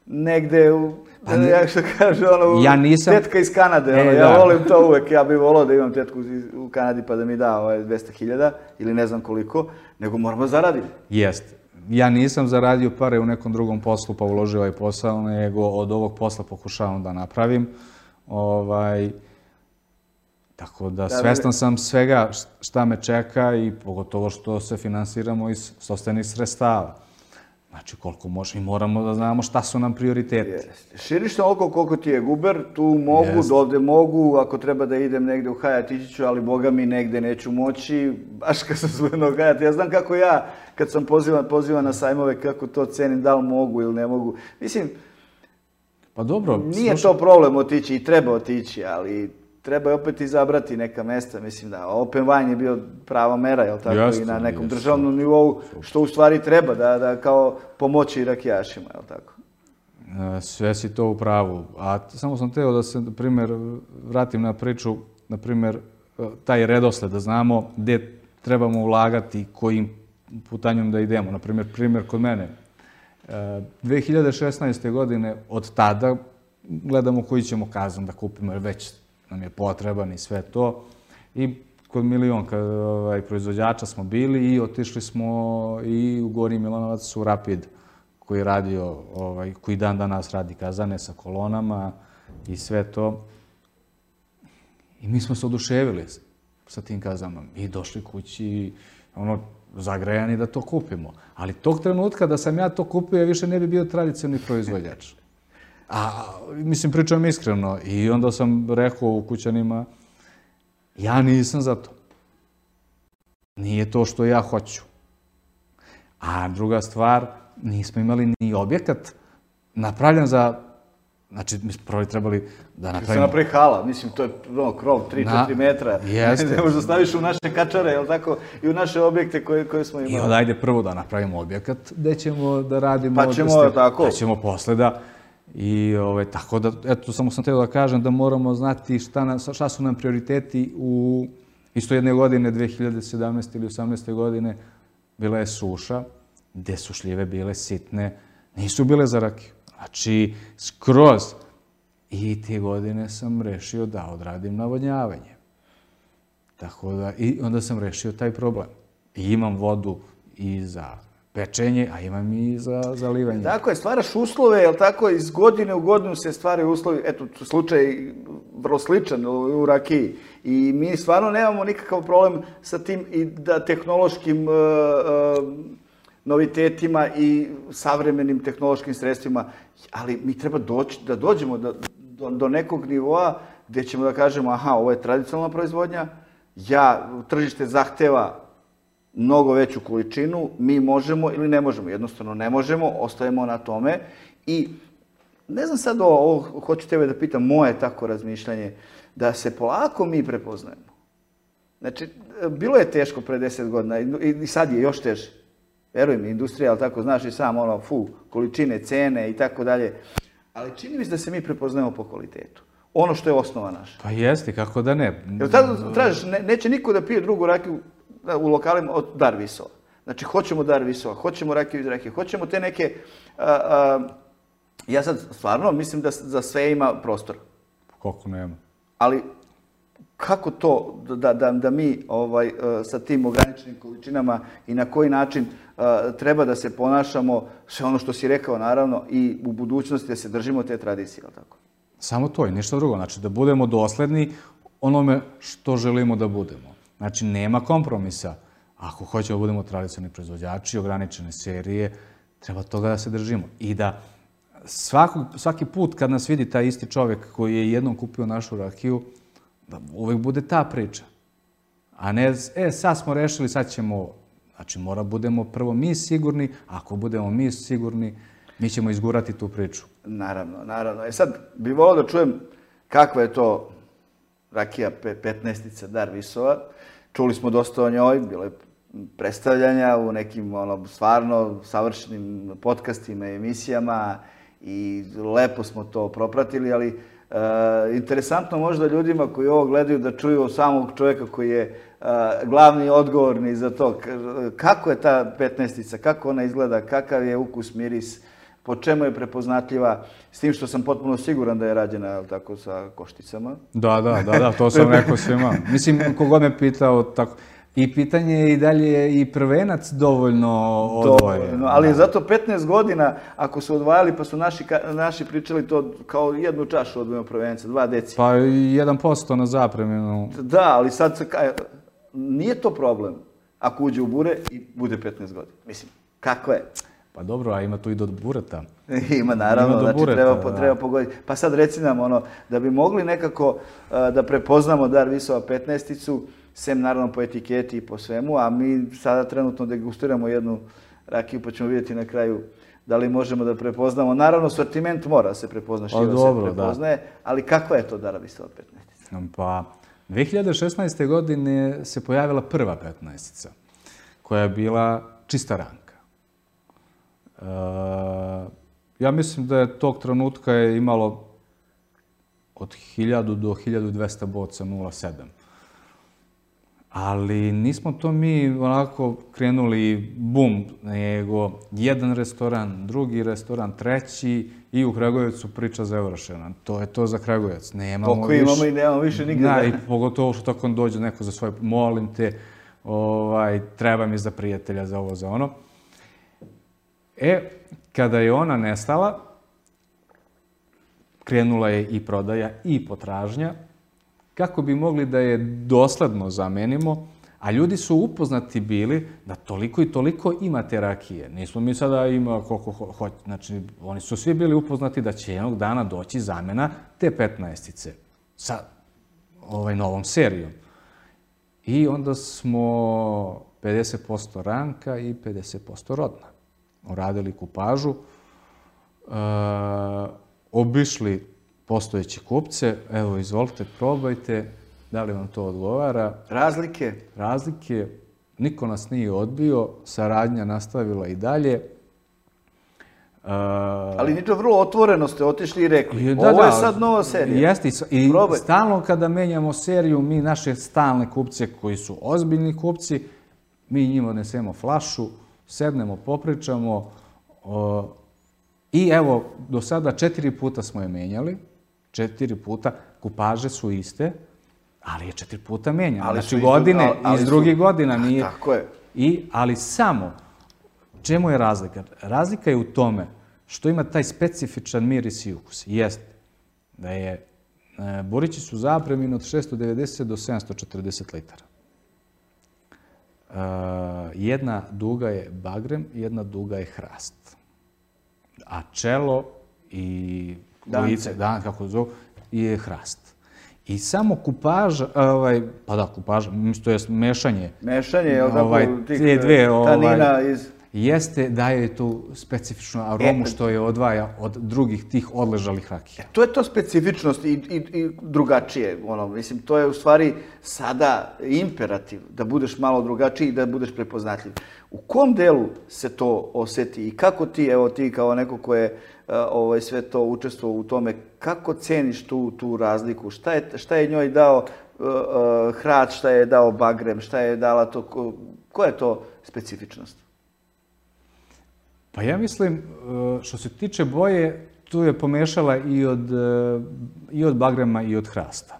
negde u, pa ne, ja što kaže, ono, ja nisam, tetka iz Kanade, ono, e, ja da. volim to uvek, ja bih volao da imam tetku u Kanadi pa da mi da ovaj dvesta hiljada ili ne znam koliko, nego moramo zaraditi. Jeste. Ja nisam zaradio pare u nekom drugom poslu pa uložio ovaj posao, nego od ovog posla pokušavam da napravim. Ovaj, tako da svestan sam svega šta me čeka i pogotovo što se finansiramo iz sopstvenih sredstava. Znači koliko može i moramo da znamo šta su nam prioriteti. Jeste. Širiš toliko koliko ti je guber, tu mogu, Jeste. Dovde mogu, ako treba da idem negde u Hajat, ići ću, ali boga mi negde neću moći, baš kad sam zvojenog Hajat. Ja znam kako ja, kad sam pozivan, pozivan na sajmove, kako to cenim, da li mogu ili ne mogu. Mislim, pa dobro, nije slušaj. To problem otići i treba otići, ali treba je opet izabrati neka mesta. Mislim da open wine je bio prava mera, jel tako, jeste, i na nekom jeste. Državnom nivou, što u stvari treba, da, da kao pomoći rakijašima, jel tako? Sve si to u pravu. A samo sam teo da se, na primjer, vratim na priču, na primjer, taj redosled, da znamo gdje trebamo ulagati, kojim putanjom da idemo. Na primjer, primjer kod mene. dve hiljade šesnaeste. godine, od tada, gledamo koji ćemo kazan da kupimo, jer već nam je potreban i sve to. I kod milionka ovaj, proizvođača smo bili i otišli smo i u Gornji Milanovac u Rapid, koji radio, ovaj, koji dan danas radi kazane sa kolonama i sve to. I mi smo se oduševili sa tim kazanama i došli kući, ono, zagrejani da to kupimo. Ali tog trenutka da sam ja to kupio, ja više ne bi bio tradicionalni proizvođač. A, mislim, pričam iskreno. I onda sam rekao u kućanima, ja nisam za to. Nije to što ja hoću. A druga stvar, nismo imali ni objekat napravljen za... Znači, mi smo prvi trebali da napravimo... Se napravi hala, mislim, to je ono, krov tri do četiri metra. Jeste. Ne možda staviš u naše kačare, jel tako, i u naše objekte koje, koje smo imali. I onda ajde prvo da napravimo objekat, gde ćemo da radimo... Pa ćemo, da ste, tako. Pa ćemo posle da... I ove, tako da, eto, samo sam htio da kažem da moramo znati šta, na, šta su nam prioriteti u isto jedne godine, dve hiljade sedamnaeste. ili osamnaeste. godine, bila je suša, gde su šljive bile sitne, nisu bile za rakiju. Znači, skroz. I te godine sam rešio da odradim navodnjavanje. Tako da, i onda sam rešio taj problem. I imam vodu i za pečenje, a imam i za zalivanje. Tako je, stvaraš uslove, jel tako, iz godine u godinu se stvaraju uslovi, eto, slučaj vrlo sličan u rakiji. I mi stvarno nemamo nikakav problem sa tim i da tehnološkim uh, uh, novitetima i savremenim tehnološkim sredstvima, ali mi treba doći, da dođemo do, do, do nekog nivoa gdje ćemo da kažemo, aha, ovo je tradicionalna proizvodnja, ja, tržište zahteva mnogo veću količinu, mi možemo ili ne možemo. Jednostavno ne možemo, ostajemo na tome. I ne znam sad ovo, ovo hoću tebe da pitam, moje tako razmišljanje, da se polako mi prepoznajemo. Znači, bilo je teško pre deset godina i sad je još teže. Veruj mi, industrija, ali tako znaš i sam, ono, fu, količine, cene i tako dalje. Ali čini mi se da se mi prepoznajemo po kvalitetu. ono što je osnova naša. Pa jeste, kako da ne. Jer tada tražiš, ne, neće niko da pije drugu rakiju u lokalima od Dar Visova. Znači, hoćemo Dar Visova, hoćemo rakiju iz rakije, hoćemo te neke... A, a, ja sad stvarno mislim da za sve ima prostora. Koliko nema. Ali kako to da, da, da mi ovaj, sa tim ograničenim količinama i na koji način treba da se ponašamo, sve ono što si rekao naravno, i u budućnosti da se držimo te tradicije, ali tako? Samo to i ništa drugo. Znači, da budemo dosledni onome što želimo da budemo. Znači, nema kompromisa. Ako hoćemo da budemo tradicionalni proizvođači, ograničene serije, treba toga da se držimo. I da svakog, svaki put kad nas vidi taj isti čovjek koji je jednom kupio našu rakiju, da uvijek bude ta priča. A ne, e, sad smo rešili, sad ćemo... Znači, mora budemo prvo mi sigurni, ako budemo mi sigurni, mi ćemo izgurati tu priču. Naravno, naravno. E sad, bih volio da čujem kakva je to rakija petnaestica Dar Visova. Čuli smo dosta o njoj, bilo je predstavljanja u nekim ono, stvarno savršenim podcastima i emisijama i lepo smo to propratili, ali e, interesantno možda ljudima koji ovo gledaju da čuju od samog čovjeka koji je e, glavni odgovorni za to. Kako je ta petnaestica, kako ona izgleda, kakav je ukus, miris, po čemu je prepoznatljiva, s tim što sam potpuno siguran da je rađena tako, sa košticama. Da, da, da, da, to sam rekao svima. Mislim, kogod me pitao tako... I pitanje je i dalje i prvenac dovoljno odvoje. Dovoljno, ali zato petnaest godina, ako su odvajali, pa su naši, naši pričali to kao jednu čašu odvojimo prvenca, dva deci. Pa jedan posto na zapremenu. Da, ali sad se, nije to problem ako uđe u bure i bude petnaest godina. Mislim, kako je? Pa dobro, a ima tu i do bureta. Ima, naravno, ima znači bureta, treba, da. treba pogoditi. Pa sad reci nam, ono, da bi mogli nekako uh, da prepoznamo Dar Visova petnaesticu, sem naravno po etiketi i po svemu, a mi sada trenutno degustiramo jednu rakiju, pa ćemo vidjeti na kraju da li možemo da prepoznamo. Naravno, sortiment mora se prepozna, šljiva se prepoznaje, ali kakva je to Dar Visova petnaestica? Pa, dve hiljade šesnaeste. godine se pojavila prva petnaestica, koja je bila čista ranka. E, ja mislim da je tog trenutka je imalo od hiljadu do hiljadu dvesta boca nula sedam. Ali nismo to mi onako krenuli bum, nego jedan restoran, drugi restoran, treći i u Kragujevcu priča završena. To je to za Kragujevac. Nemamo Poko imamo i nemamo više nigde. Da, i pogotovo što tako dođe neko za svoje, molim te, ovaj, treba mi za prijatelja, za ovo, za ono. E, kada je ona nestala, krenula je i prodaja i potražnja, kako bi mogli da je dosledno zamenimo, a ljudi su upoznati bili da toliko i toliko ima te rakije. Nismo mi sada ima koliko hoće. Znači, oni su svi bili upoznati da će jednog dana doći zamena te petnaestice sa ovaj novom serijom. I onda smo pedeset posto ranka i pedeset posto rodna. Uradili kupažu, e, obišli postojeće kupce, evo, izvolite, probajte, da li vam to odgovara. Razlike? Razlike, niko nas nije odbio, saradnja nastavila i dalje. Uh, Ali ničo, vrlo otvoreno ste otišli i rekli, da, ovo je sad nova serija. Jeste, i Probaj. Stalno kada menjamo seriju, mi naše stalne kupce koji su ozbiljni kupci, mi njima odnesemo flašu, sednemo, popričamo, uh, i evo, do sada četiri puta smo je menjali, četiri puta, kupaže su iste, ali je četiri puta menjano. Znači godine, iz drugih godina nije. Tako je. I, ali samo, čemu je razlika? Razlika je u tome što ima taj specifičan miris i ukus. Jeste da je, e, burići su zapremine od šesto devedeset do sedamsto četrdeset litara. E, jedna duga je bagrem, jedna duga je hrast. A čelo i lice, dan, kako zovu, je hrast. I samo kupaža, ovaj, pa da, kupaža, to je mešanje. Mešanje, je li ovaj, tako, tih dve, tanina ovaj, iz... jeste daje tu specifičnu aromu što je odvaja od drugih tih odležalih rakija. To je to specifičnost i, i, i drugačije. Ono, mislim, to je u stvari sada imperativ da budeš malo drugačiji i da budeš prepoznatljiv. U kom delu se to oseti i kako ti, evo ti kao neko ko je uh, ovaj, sve to učestvovao u tome, kako ceniš tu, tu razliku? Šta je, šta je njoj dao uh, uh, Hrat, šta je dao Bagrem, šta je dala to, ko, koja je to specifičnost? Pa ja mislim, što se tiče boje, tu je pomešala i od, i od Bagrema i od Hrasta.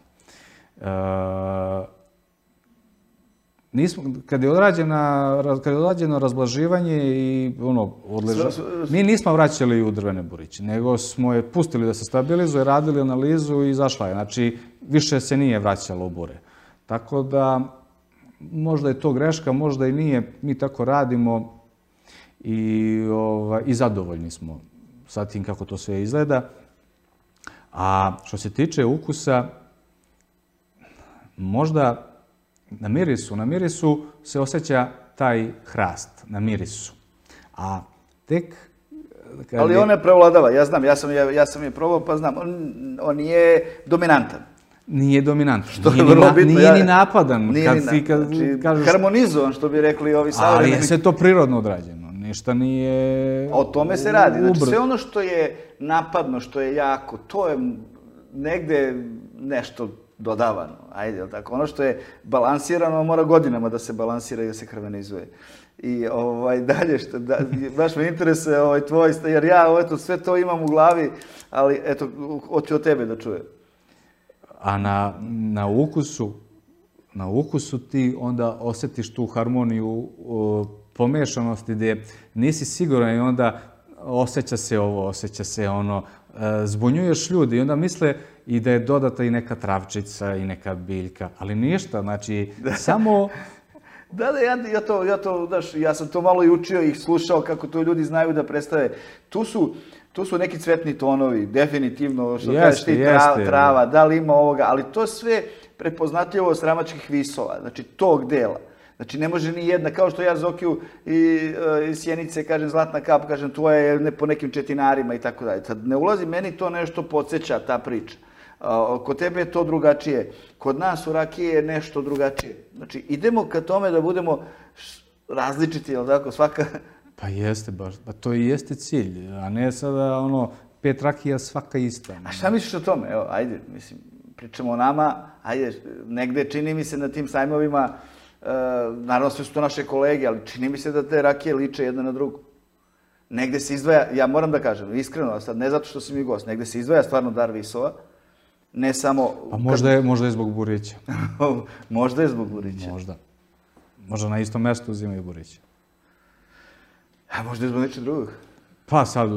Nismo, kad je odrađena, kad je odrađeno razblaživanje i ono, odleža, mi nismo vraćali u drvene buriće, nego smo je pustili da se stabilizuje, radili analizu i izašla je. Znači, više se nije vraćalo u bure. Tako da, možda je to greška, možda i nije, mi tako radimo i, ovaj, i zadovoljni smo sa tim kako to sve izgleda. A što se tiče ukusa, možda na mirisu, na mirisu se osjeća taj hrast, na mirisu. A tek... Kad Ali je... on ne prevladava, ja znam, ja sam, ja, ja sam je probao pa znam, on, on je dominantan. Nije dominantan, Što nije, je vrlo ni, bitno, nije ja, ni napadan. Nije kad ni si, kad znači, kažeš... harmonizovan, što bi rekli ovi savremeni. Ali je sve to prirodno odrađeno, ništa nije... O tome se radi, znači ubr... sve ono što je napadno, što je jako, to je negde nešto dodavano, ajde, jel tako? Ono što je balansirano mora godinama da se balansira i da se harmonizuje. I ovaj, dalje, što, da, baš me interesuje ovaj, tvoj, jer ja eto, sve to imam u glavi, ali eto, hoću od tebe da čujem. A na, na ukusu, na ukusu ti onda osjetiš tu harmoniju o, pomešanosti gdje nisi siguran i onda osjeća se ovo, osjeća se ono, e, zbunjuješ ljudi i onda misle i da je dodata i neka travčica i neka biljka, ali ništa, znači samo... Da, da, ja, ja, to, ja, to, daš, ja sam to malo i učio i slušao kako to ljudi znaju da predstave. Tu su, tu su neki cvetni tonovi, definitivno, što jeste, kažeš ti, tra, jeste, trava, da li ima ovoga, ali to sve prepoznatljivo od sramačkih visova, znači tog dela. Znači ne može ni jedna, kao što ja Zokiju i, iz Sjenice kažem zlatna kap, kažem tvoja je ne, po nekim četinarima i tako dalje. Tad ne ulazi, meni to nešto podsjeća, ta priča. Kod tebe je to drugačije, kod nas u rakije je nešto drugačije. Znači, idemo ka tome da budemo različiti, jel tako, svaka... Pa jeste baš, pa to i jeste cilj, a ne sada ono, pet rakija svaka ista. A šta misliš o tome? Evo, ajde, mislim, pričamo o nama, ajde, negde čini mi se na tim sajmovima, e, naravno sve su to naše kolege, ali čini mi se da te rakije liče jedna na drugu. Negde se izdvaja, ja moram da kažem, iskreno, sad ne zato što si mi gost, negde se izdvaja stvarno dar visova, ne samo... Pa možda je, možda je zbog burića. Možda je zbog burića. Možda. Možda na istom mjestu uzimaju burića. A možda je zbog nečeg drugog. Pa sad,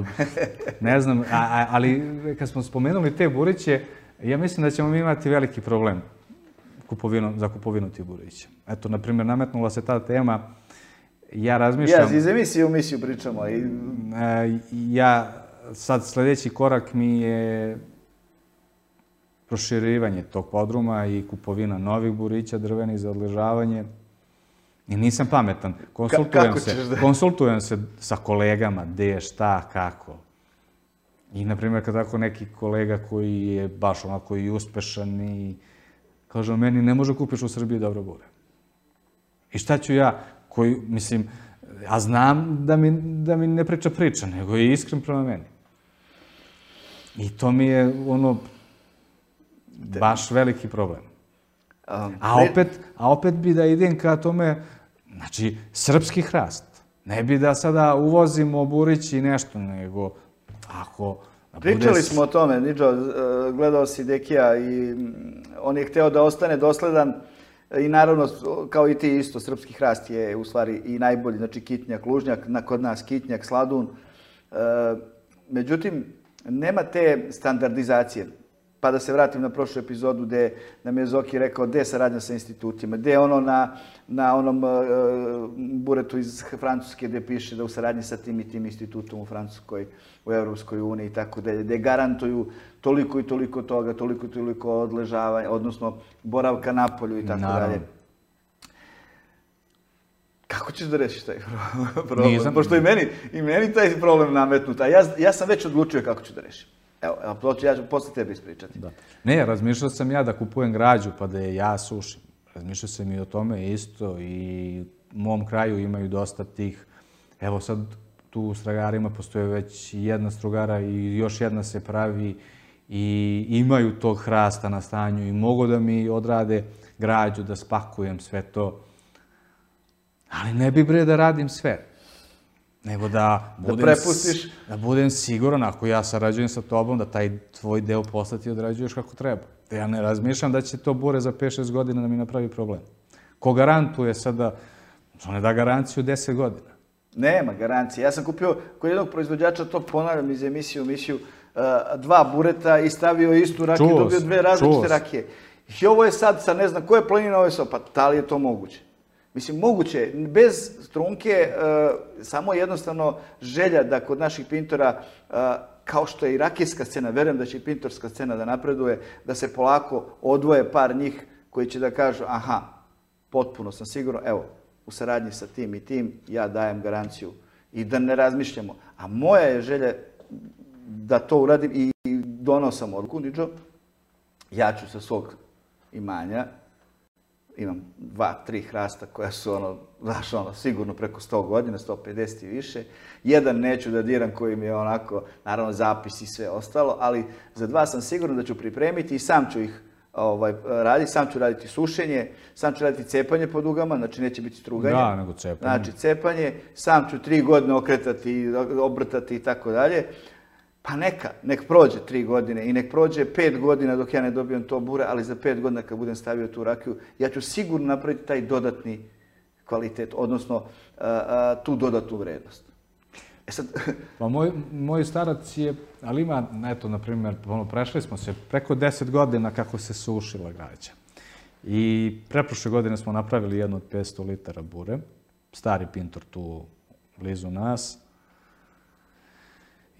ne znam, a, a, ali kad smo spomenuli te buriće, ja mislim da ćemo mi imati veliki problem kupovinu, za kupovinu tih burića. Eto, na primjer, nametnula se ta tema, ja razmišljam... Ja, iz emisije u misiju pričamo. I... Ja, sad sljedeći korak mi je proširivanje tog podruma i kupovina novih burića drvenih za odležavanje. I nisam pametan. Konsultujem Ka, se, da... konsultujem se sa kolegama gdje, šta, kako. I, na primjer, kad tako neki kolega koji je baš onako i uspešan i kaže meni ne može kupiš u Srbiji dobro bure. I šta ću ja, koji, mislim, a znam da mi, da mi ne priča priča, nego je iskren prema meni. I to mi je ono, baš veliki problem. A opet, a opet bi da idem ka tome, znači, srpski hrast. Ne bi da sada uvozimo burić i nešto, nego ako... Pričali bude... smo o tome, Nidžo, gledao si Dekija i on je hteo da ostane dosledan i naravno, kao i ti isto, srpski hrast je u stvari i najbolji, znači kitnjak, lužnjak, kod nas kitnjak, sladun. Međutim, nema te standardizacije. Pa da se vratim na prošlu epizodu gdje nam je Zoki rekao gdje je saradnja sa institutima, gdje je ono na, na onom uh, buretu iz Francuske gdje piše da u saradnji sa tim i tim institutom u Francuskoj, u Europskoj uniji i tako dalje, gdje garantuju toliko i toliko toga, toliko i toliko odležavanja, odnosno boravka na polju i tako dalje. Kako Kako ćeš da rešiš taj problem? Pošto i meni, i meni taj problem nametnut, a ja, ja sam već odlučio kako ću da rešim. Evo, evo ja ću posle tebi ispričati. Da. Ne, razmišljao sam ja da kupujem građu pa da je ja sušim. Razmišljao sam i o tome isto i u mom kraju imaju dosta tih. Evo sad tu u Stragarima postoje već jedna strugara i još jedna se pravi i imaju tog hrasta na stanju i mogu da mi odrade građu, da spakujem sve to. Ali ne bi bre da radim sve. Nego da budem, da prepustiš. Da budem siguran, ako ja sarađujem sa tobom, da taj tvoj deo posla ti odrađuješ kako treba. Da ja ne razmišljam da će to bure za pet šest godina da mi napravi problem. Ko garantuje sada, što ne da garanciju deset godina? Nema garancije. Ja sam kupio kod jednog proizvođača, to ponavljam iz emisije u emisiju, dva bureta i stavio istu rakiju, dobio dve različite rakije. I ovo je sad, sa ne znam koje planine, ovo je sad, pa da li je to moguće? Mislim, moguće, bez strunke, samo jednostavno želja da kod naših pintora, kao što je i rakijska scena, verujem da će i pintorska scena da napreduje, da se polako odvoje par njih koji će da kažu, aha, potpuno sam sigurno, evo, u saradnji sa tim i tim, ja dajem garanciju i da ne razmišljamo. A moja je želja da to uradim i donosam odluku, Niđo, ja ću sa svog imanja, imam dva, tri hrasta koja su ono, znaš ono, sigurno preko sto godina, sto pedeset i više. Jedan neću da diram koji mi je onako, naravno zapis i sve ostalo, ali za dva sam siguran da ću pripremiti i sam ću ih ovaj, raditi, sam ću raditi sušenje, sam ću raditi cepanje po dugama, znači neće biti struganje. Da, nego cepanje. Znači cepanje, sam ću tri godine okretati, obrtati i tako dalje. Pa neka, nek prođe tri godine i nek prođe pet godina dok ja ne dobijem to bure, ali za pet godina kad budem stavio tu rakiju, ja ću sigurno napraviti taj dodatni kvalitet, odnosno tu dodatnu vrednost. E sad... Pa moj, moj starac je, ali ima, eto, na primjer, prešli smo se preko deset godina kako se sušila građa. I preprošle godine smo napravili jednu od petsto litara bure, stari pintor tu blizu nas.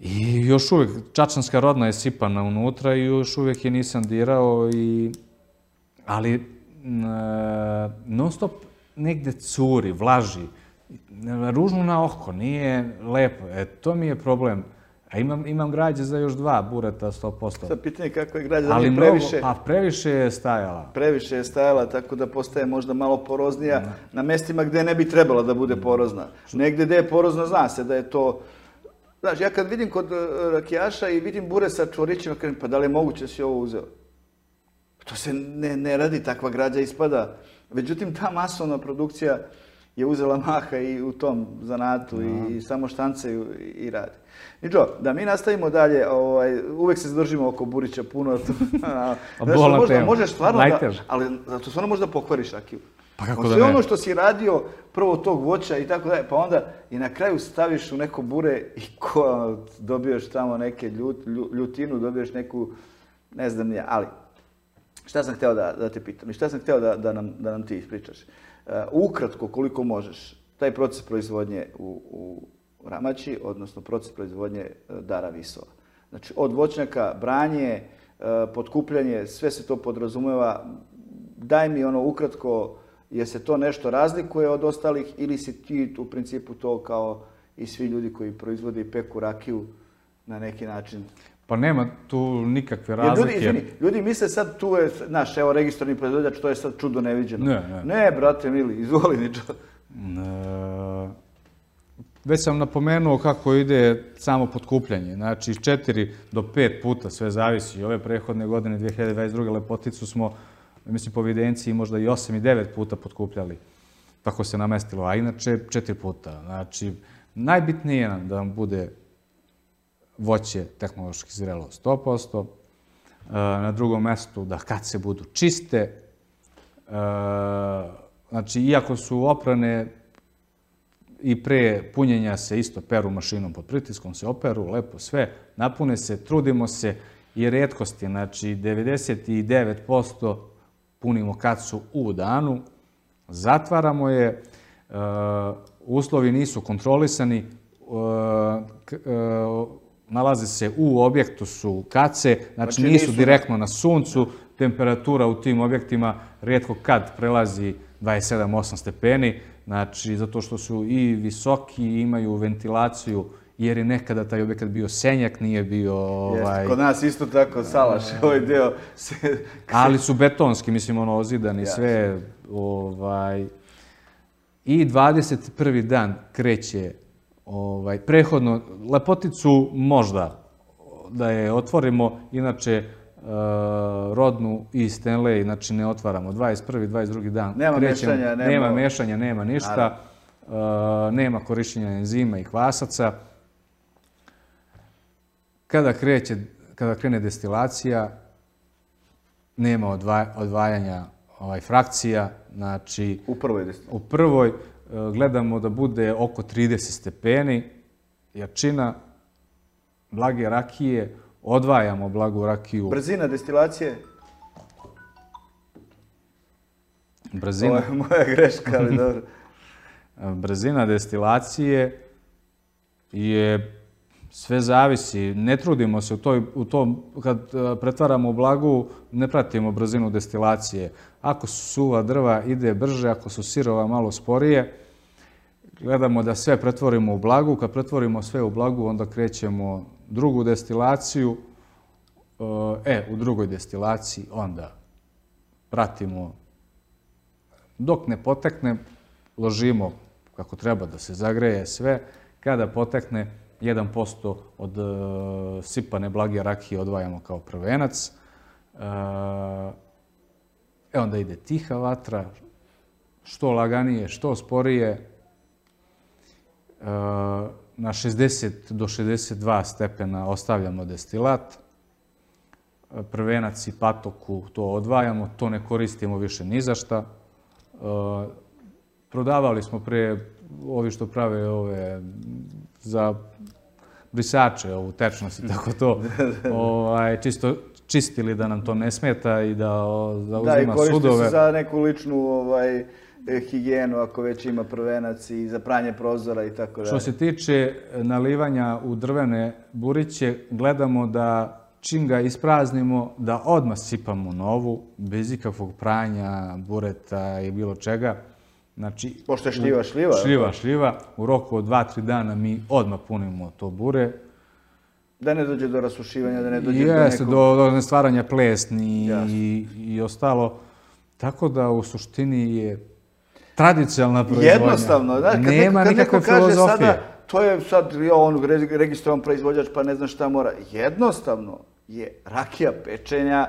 I još uvijek, čačanska rodna je sipana unutra i još uvijek je nisam dirao, i, ali e, non stop negde curi, vlaži, ružno na oko, nije lepo. E, to mi je problem. A imam, imam građe za još dva bureta, sto posto. Sad pitanje kako je građa, da nije previše... A previše je stajala. Previše je stajala, tako da postaje možda malo poroznija ne. Na mestima gde ne bi trebala da bude porozna. Negde gde je porozna, zna se da je to... Znaš, ja kad vidim kod rakijaša i vidim bure sa čvorićima, kažem, pa da li je moguće da si ovo uzeo? To se ne, ne radi, takva građa ispada. Međutim, ta masovna produkcija je uzela maha i u tom zanatu no. i samo štancaju i radi. Niđo, da mi nastavimo dalje, ovaj, uvek se zadržimo oko burića puno. Znaš, možda, možeš stvarno da, ali zato stvarno možda pokvariš rakiju. Pa kako da sve ne? Ono što si radio, prvo tog voća i tako dalje, pa onda i na kraju staviš u neko bure i ko, dobiješ tamo neke ljut, ljutinu, dobiješ neku, ne znam nije, ali šta sam hteo da, da te pitam i šta sam hteo da, da, nam, da nam ti ispričaš. Uh, ukratko, koliko možeš, taj proces proizvodnje u, u Ramači, odnosno proces proizvodnje Dara Visova. Znači, od voćnjaka, branje, uh, potkupljanje, sve se to podrazumeva. Daj mi ono ukratko, je se to nešto razlikuje od ostalih ili si ti u principu to kao i svi ljudi koji proizvode i peku rakiju na neki način? Pa nema tu nikakve razlike. Ljudi, izvini, ljudi misle sad tu je, znaš, evo, registrarni proizvođač, to je sad čudo neviđeno. Ne, ne. Ne, brate mili, izvoli Niđo. E, već sam napomenuo kako ide samo potkupljanje. Znači, četiri do pet puta, sve zavisi. Ove prehodne godine, dve hiljade dvadeset druge Lepoticu smo, mislim, po evidenciji možda i osam i devet puta potkupljali. Tako se namestilo, a inače četiri puta. Znači, najbitnije nam da vam bude voće tehnološki zrelo sto posto, na drugom mjestu da kad se budu čiste, znači, iako su oprane i pre punjenja se isto peru mašinom pod pritiskom, se operu, lepo sve, napune se, trudimo se i retkosti, znači devedeset devet posto punimo kad su u danu, zatvaramo je, uslovi nisu kontrolisani, nalaze se u objektu su kace, znači, znači nisu direktno na suncu, temperatura u tim objektima rijetko kad prelazi dvadeset sedam osam stepeni, znači zato što su i visoki i imaju ventilaciju, jer je nekada taj objekat bio senjak, nije bio... Ovaj... Kod nas isto tako, salaš, ovaj deo se... Ali su betonski, mislim, ono, ozidani, sve, ovaj... I dvadeset prvi dan kreće, ovaj, prehodno, Lepoticu možda da je otvorimo, inače Rodnu i Stanley, znači ne otvaramo. dvadeset prvi, dvadeset drugi dan nema krećemo. Mešanja, nema... Nema mešanja, nema ništa. Nema korišćenja enzima i kvasaca. Kada kreće, kada krene destilacija, nema odvajanja ovaj, frakcija, znači... U prvoj destilaciji. U prvoj gledamo da bude oko trideset stepeni, jačina, blage rakije, odvajamo blagu rakiju. Brzina destilacije? Brzina... Ovo je moja greška, ali dobro. Brzina destilacije je... Sve zavisi. Ne trudimo se u, toj, u tom, kad pretvaramo blagu, ne pratimo brzinu destilacije. Ako su suva drva, ide brže, ako su sirova, malo sporije. Gledamo da sve pretvorimo u blagu. Kad pretvorimo sve u blagu, onda krećemo drugu destilaciju. E, u drugoj destilaciji onda pratimo. Dok ne potekne, ložimo kako treba da se zagreje sve. Kada potekne, jedan posto od uh, sipane blage rakije odvajamo kao prvenac. Uh, e onda ide tiha vatra, što laganije, što sporije. Uh, na šezdeset do šezdeset dva stepena ostavljamo destilat. Uh, prvenac i patoku to odvajamo, to ne koristimo više ni za šta. Uh, prodavali smo pre ovi što prave ove za brisače, ovu tečnost i tako to, ovaj, čisto čistili da nam to ne smeta i da, da uzima sudove. Da, i koriste se za neku ličnu ovaj, higijenu, ako već ima prvenac i za pranje prozora i tako dalje. Što se tiče nalivanja u drvene buriće, gledamo da čim ga ispraznimo, da odmah sipamo novu, bez ikakvog pranja, bureta i bilo čega. Znači, pošto je šljiva, šljiva. Šljiva, šljiva. U roku od dva tri dana mi odmah punimo to bure. Da ne dođe do rasušivanja, da ne dođe do Jeste, nekog... do, do stvaranja plesni i, i ostalo. Tako da u suštini je tradicionalna proizvodnja. Jednostavno, znaš, kad, nema neko, kad neko kaže filozofije. Sada, to je sad on registrovan proizvođač pa ne znam šta mora. Jednostavno je rakija pečenja,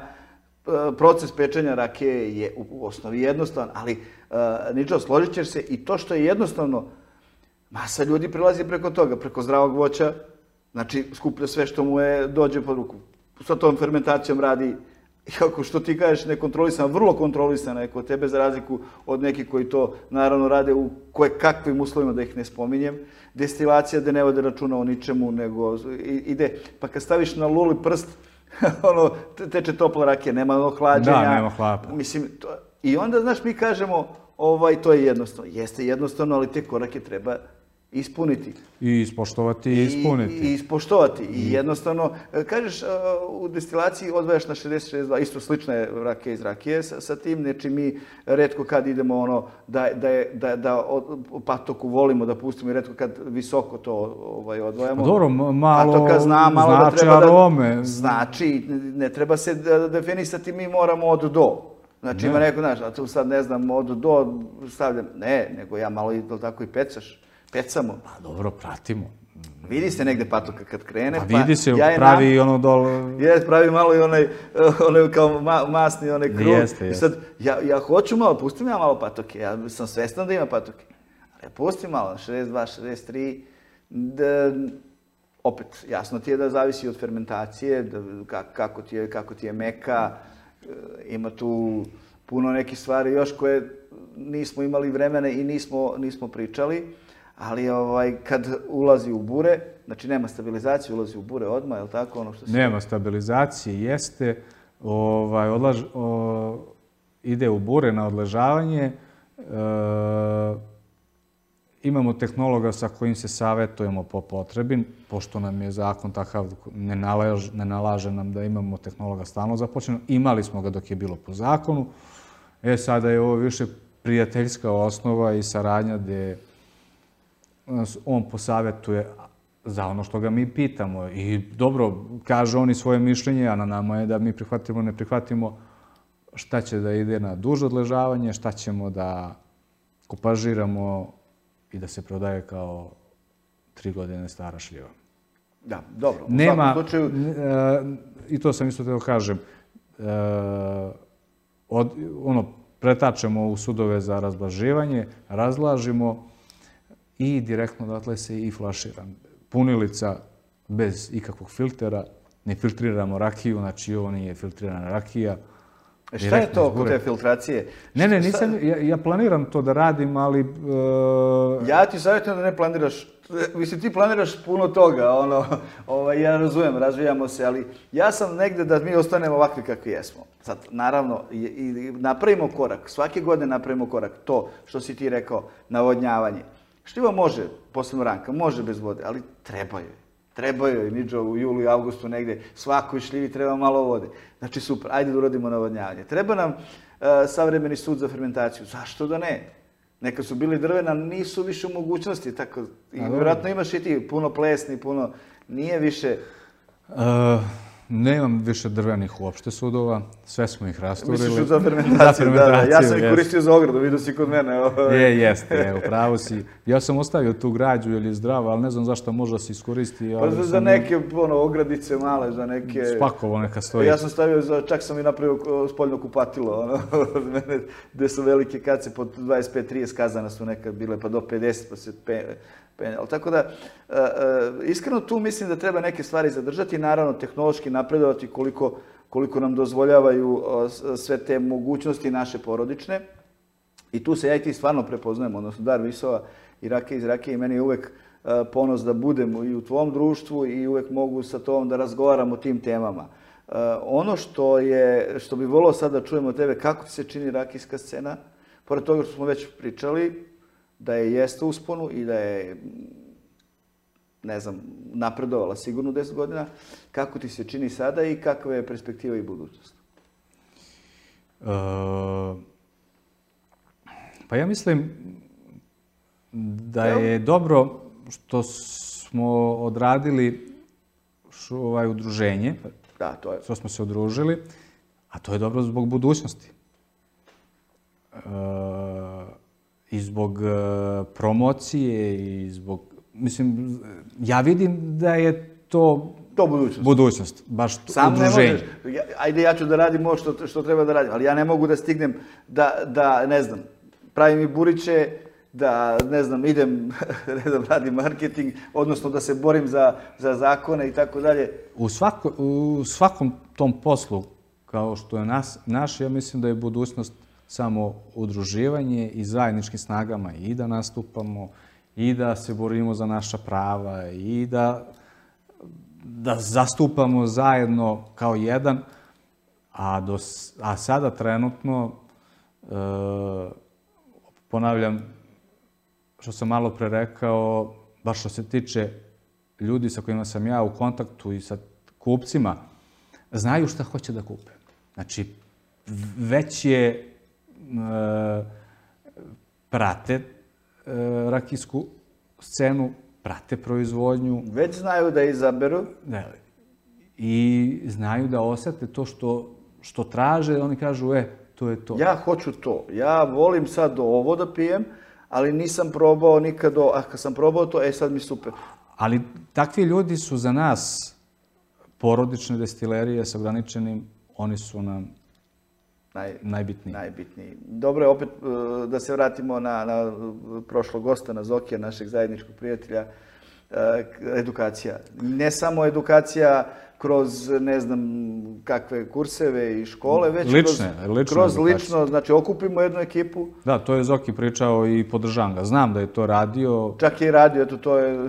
proces pečenja rakije je u osnovi jednostavan, ali uh, Niđo, složit ćeš se i to što je jednostavno, masa ljudi prilazi preko toga, preko zdravog voća, znači skuplja sve što mu je dođe pod ruku. Sa tom fermentacijom radi, kako što ti kažeš, nekontrolisana, vrlo kontrolisana je kod tebe, za razliku od nekih koji to naravno rade u koje kakvim uslovima, da ih ne spominjem. Destilacija da ne vode računa o ničemu, nego ide, pa kad staviš na luli prst, ono, teče topla rakija, nema ono hlađenja. Da, nema hlapa. Mislim, to, i onda, znaš, mi kažemo, ovaj, to je jednostavno. Jeste jednostavno, ali te korake treba ispuniti. I ispoštovati i ispuniti. I, i ispoštovati. I jednostavno, kažeš, u destilaciji odvajaš na šezdeset šezdeset dva, isto slična je rakija iz rakije sa, sa tim, znači mi retko kad idemo ono, da, da, je, da, da od patoku volimo da pustimo i retko kad visoko to ovaj, odvajamo. Dobro, malo Patoka zna, malo znači da treba arome. Da, znači, ne treba se definisati, mi moramo od do. Znači ne. Ima neko, znaš, a tu sad ne znam, od do stavljam, ne, nego ja malo i tako i pecaš. Pecamo. Pa dobro, pratimo. Vidi se negde patoka kad krene. Pa vidi se, ja pravi nam... ono dol... Jes, pravi malo i onaj, onaj kao ma, masni onaj krug. Jeste, jeste. I sad, ja, ja hoću malo, pustim ja malo patoke. Ja sam svestan da ima patoke. Ali ja pustim malo, šezdeset dva, šezdeset tri. Da, opet, jasno ti je da zavisi od fermentacije, da, kako, ti je, kako ti je meka. Ima tu puno nekih stvari još koje nismo imali vremene i nismo, nismo pričali. Ali ovaj, kad ulazi u bure, znači nema stabilizacije, ulazi u bure odmah, je li tako? Ono što se... Nema stabilizacije, jeste. Ovaj, odlaž, o, ide u bure na odležavanje. E, imamo tehnologa sa kojim se savjetujemo po potrebi, pošto nam je zakon takav, ne, nalaž, ne nalaže nam da imamo tehnologa stalno započeno. Imali smo ga dok je bilo po zakonu. E, sada je ovo više prijateljska osnova i saradnja gdje nas on posavjetuje za ono što ga mi pitamo. I dobro, kaže oni svoje mišljenje, a na nama je da mi prihvatimo, ne prihvatimo šta će da ide na duže odležavanje, šta ćemo da kupažiramo i da se prodaje kao tri godine stara šljiva. Da, dobro. U Nema, svakom slučaju... i to sam isto teo kažem, od, ono, pretačemo u sudove za razblaživanje, razlažimo i direktno odatle se i flašira. Punilica bez ikakvog filtera, ne filtriramo rakiju, znači ovo nije filtrirana rakija. Šta je to oko te filtracije? Ne, ne, nisam, ja, ja planiram to da radim, ali... Uh... Ja ti savjetujem da ne planiraš, mislim ti planiraš puno toga, ono, ovaj, ja razumijem, razvijamo se, ali ja sam negde da mi ostanemo ovakvi kakvi jesmo. Sad, naravno, i, i napravimo korak, svake godine napravimo korak, to što si ti rekao, navodnjavanje. Šljiva može, posebno ranka, može bez vode, ali treba joj. Treba joj, niđo, u julu i avgustu negde, svakoj šljivi treba malo vode. Znači, super, ajde da uradimo navodnjavanje. Treba nam uh, savremeni sud za fermentaciju. Zašto da ne? Neka su bili drvena, nisu više u mogućnosti, tako. I vjerojatno imaš i ti puno plesni, puno, nije više... Uh... Nemam više drvenih uopšte sudova, sve smo ih rasturili. Misliš za fermentaciju, da, da. Ja sam ih koristio za ogradu, vidio si kod mene. Je, jeste, je, upravo si. Ja sam ostavio tu građu jer je zdrava, ali ne znam zašto može se iskoristi. Pa za, za neke ono, ogradice male, za neke... Spakovo neka stoji. Ja sam stavio, za, čak sam i napravio spoljno kupatilo, ono, od mene, gde su velike kace, po dvadeset pet trideset kazana su nekad bile, pa do pedeset, pa se pe, penjalo. Tako da, uh, uh, iskreno tu mislim da treba neke stvari zadržati, naravno tehnološki napredovati koliko, koliko nam dozvoljavaju uh, sve te mogućnosti naše porodične. I tu se ja i ti stvarno prepoznajemo, odnosno Dar Visova i Rakija iz Rakije, i meni je uvek uh, ponos da budemo i u tvom društvu i uvek mogu sa tobom da razgovaramo o tim temama. Uh, ono što je, što bi volio sad da čujemo od tebe, kako ti se čini rakijska scena, pored toga što smo već pričali, da je jeste usponu i da je, ne znam, napredovala sigurno deset godina. Kako ti se čini sada i kakva je perspektiva i budućnost? Uh, pa ja mislim da je dobro što smo odradili šu, ovaj, udruženje, da, to je. Što smo se udružili, a to je dobro zbog budućnosti. Uh, I zbog uh, promocije i zbog, mislim, ja vidim da je to... To budućnost. Budućnost, baš Sam udruženje. Ne možeš, ja, ajde ja ću da radim ovo što, što treba da radim, ali ja ne mogu da stignem da, da ne znam, pravim i buriće, da, ne znam, idem, ne znam, radim marketing, odnosno da se borim za, za zakone i tako dalje. U, svako, u svakom tom poslu, kao što je nas, naš, ja mislim da je budućnost samo udruživanje i zajedničkim snagama i da nastupamo i da se borimo za naša prava i da, da zastupamo zajedno kao jedan, a, do, a sada trenutno, e, ponavljam što sam malo pre rekao, baš što se tiče ljudi sa kojima sam ja u kontaktu i sa kupcima, znaju šta hoće da kupe. Znači, već je prate rakijsku scenu, prate proizvodnju. Već znaju da izaberu. Ne, i znaju da osete to što, što traže, oni kažu, e, to je to. Ja hoću to. Ja volim sad ovo da pijem, ali nisam probao nikad ovo. A kad sam probao to, e, sad mi super. Ali takvi ljudi su za nas porodične destilerije s ograničenim, oni su nam Naj, najbitniji. najbitniji. Dobro je opet da se vratimo na, na prošlog gosta, na Zokija, našeg zajedničkog prijatelja. Edukacija. Ne samo edukacija kroz, ne znam, kakve kurseve i škole, već lične, kroz, lične kroz lično, znači okupimo jednu ekipu. Da, to je Zoki pričao i podržavam ga. Znam da je to radio. Čak je i radio, eto to je...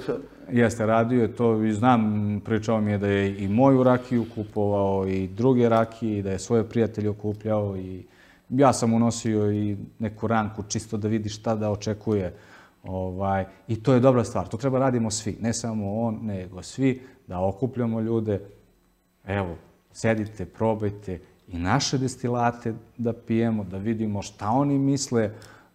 Jeste, radio je to i znam, pričao mi je da je i moju rakiju kupovao i druge rakije i da je svoje prijatelje okupljao i ja sam unosio i neku ranku čisto da vidi šta da očekuje. Ovaj, i to je dobra stvar. To treba radimo svi. Ne samo on, nego svi. Da okupljamo ljude. Evo, sedite, probajte i naše destilate da pijemo, da vidimo šta oni misle.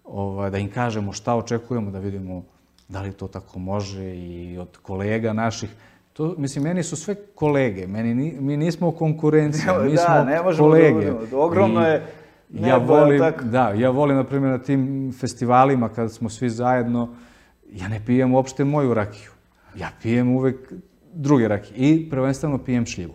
ovaj, da im kažemo šta očekujemo, da vidimo da li to tako može i od kolega naših. To, mislim, meni su sve kolege, meni, ni- mi nismo konkurencija, mi Da, smo ne možemo da kolege. budemo. Ogromno I je ja nebo, jel volim, tako? da, ja volim, na primjer, na tim festivalima kada smo svi zajedno, ja ne pijem uopšte moju rakiju. Ja pijem uvek druge rakije i prvenstveno pijem šljivu.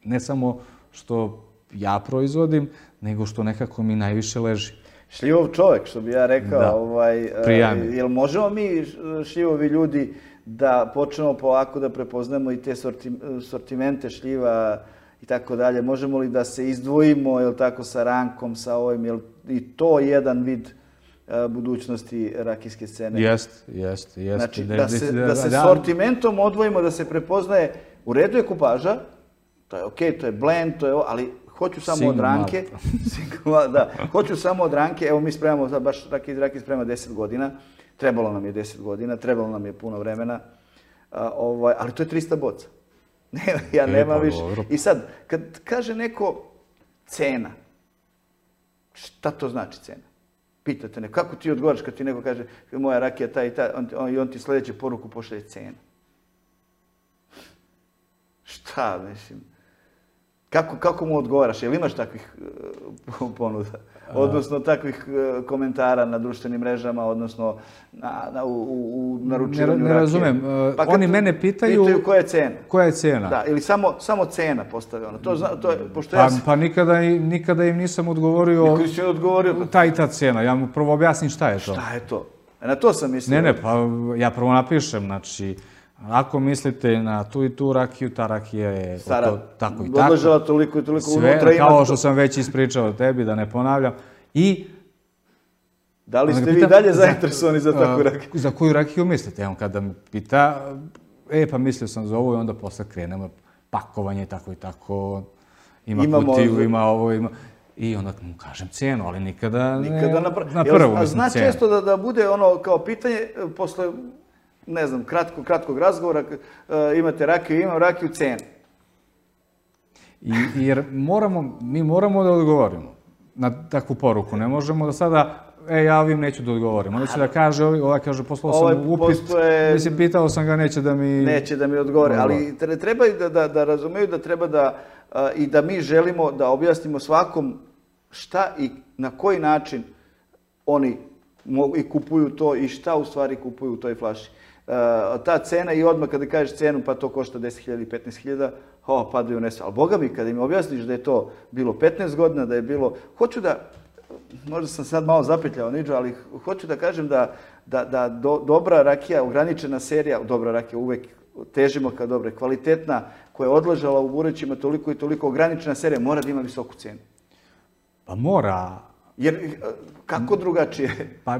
Ne samo što ja proizvodim, nego što nekako mi najviše leži. Šljivov čovjek, što bi ja rekao. Da. Ovaj, e, Prijami. jel možemo mi šljivovi ljudi da počnemo polako da prepoznamo i te sorti- sortimente šljiva i tako dalje? Možemo li da se izdvojimo, jel tako, sa rankom, sa ovim, jel i to jedan vid e, budućnosti rakijske scene? Jest, jest, jest. Znači, Da- da se, da- da se da- sortimentom odvojimo, da se prepoznaje, u redu je kupaža, to je okej, to je blend, to je ovo, ali hoću samo Single od ranke. Single, da, hoću samo od ranke, evo mi spremamo, sad baš Rakija iz Rakije sprema deset godina, trebalo nam je deset godina, trebalo nam je puno vremena, a, ovaj, ali to je trista boca. Ne, ja E, nemam pa više. dobro. I sad, kad kaže neko cena, šta to znači cena? Pitate neko, kako ti odgovaraš kad ti neko kaže moja rakija ta i ta, on, on, i on ti sljedeću poruku pošalje cena. Šta, mislim? Kako, kako mu odgovaraš? Jel imaš takvih uh, ponuda? Odnosno takvih uh, komentara na društvenim mrežama, odnosno na, na, u, u, u naručivanju Ne, ne rakije? razumem. Uh, Pa kad oni te mene pitaju- Pitaju koja je cena. Koja je cena? Da, ili samo, samo cena postavljena. To, zna, to je, pošto Pa, ja sam... pa nikada, i- nikada im nisam odgovorio Koji si odgovorio, ta i ta cena. Ja mu prvo objasnim šta je to. šta je to? E, na to sam mislio. Ne, ne, pa ja prvo napišem, znači, ako mislite na tu i tu rakiju, ta rakija je Stara, to, tako i tako. odležala toliko i toliko Sve, unutra ima... kao što sam već ispričao tebi, da ne ponavljam. I Da li onda ste ga vi pitam, dalje zainteresovani za takvu a, rakiju? Za koju rakiju mislite? Evo, kada me pita, e, pa mislio sam za ovo i onda posle krenemo pakovanje, tako i tako. Ima Imamo- kutiju, ima ovo, ima... I onda mu kažem cenu, ali nikada, ne, Nikada na, pr... na Jel, prvu, a mislim, zna cenu. često da, da bude ono kao pitanje, e, posle, ne znam, kratko, kratkog razgovora, e, imate rakiju, imam rakiju, cenu. I, jer moramo, mi moramo da odgovorimo na takvu poruku. Ne možemo da sada, e, ja ovim neću da odgovorim. Onda će da kaže, ovaj, ovaj kaže, poslao Ovaj sam upit, postoje- mislim, pitao sam ga, neće da mi... Neće da mi odgovore, Dobro. ali tre- treba i da, da, da razumeju da treba da a, i da mi želimo da objasnimo svakom šta i na koji način oni mogu i kupuju to i šta u stvari kupuju u toj flaši. A, ta cena i odmah kada kažeš cenu pa to košta deset hiljada i petnaest hiljada, o, padaju nese. Ali boga mi, kada im objasniš da je to bilo petnaest godina, da je bilo... Hoću da, možda sam sad malo zapetljao Niđo, ali hoću da kažem da, da, da do, dobra rakija, ograničena serija, dobra rakija uvek težimo ka dobre, kvalitetna, koja je odležala u burećima toliko i toliko, ograničena serija mora da ima visoku cenu. Pa mora, Jer eh, kako drugačije? pa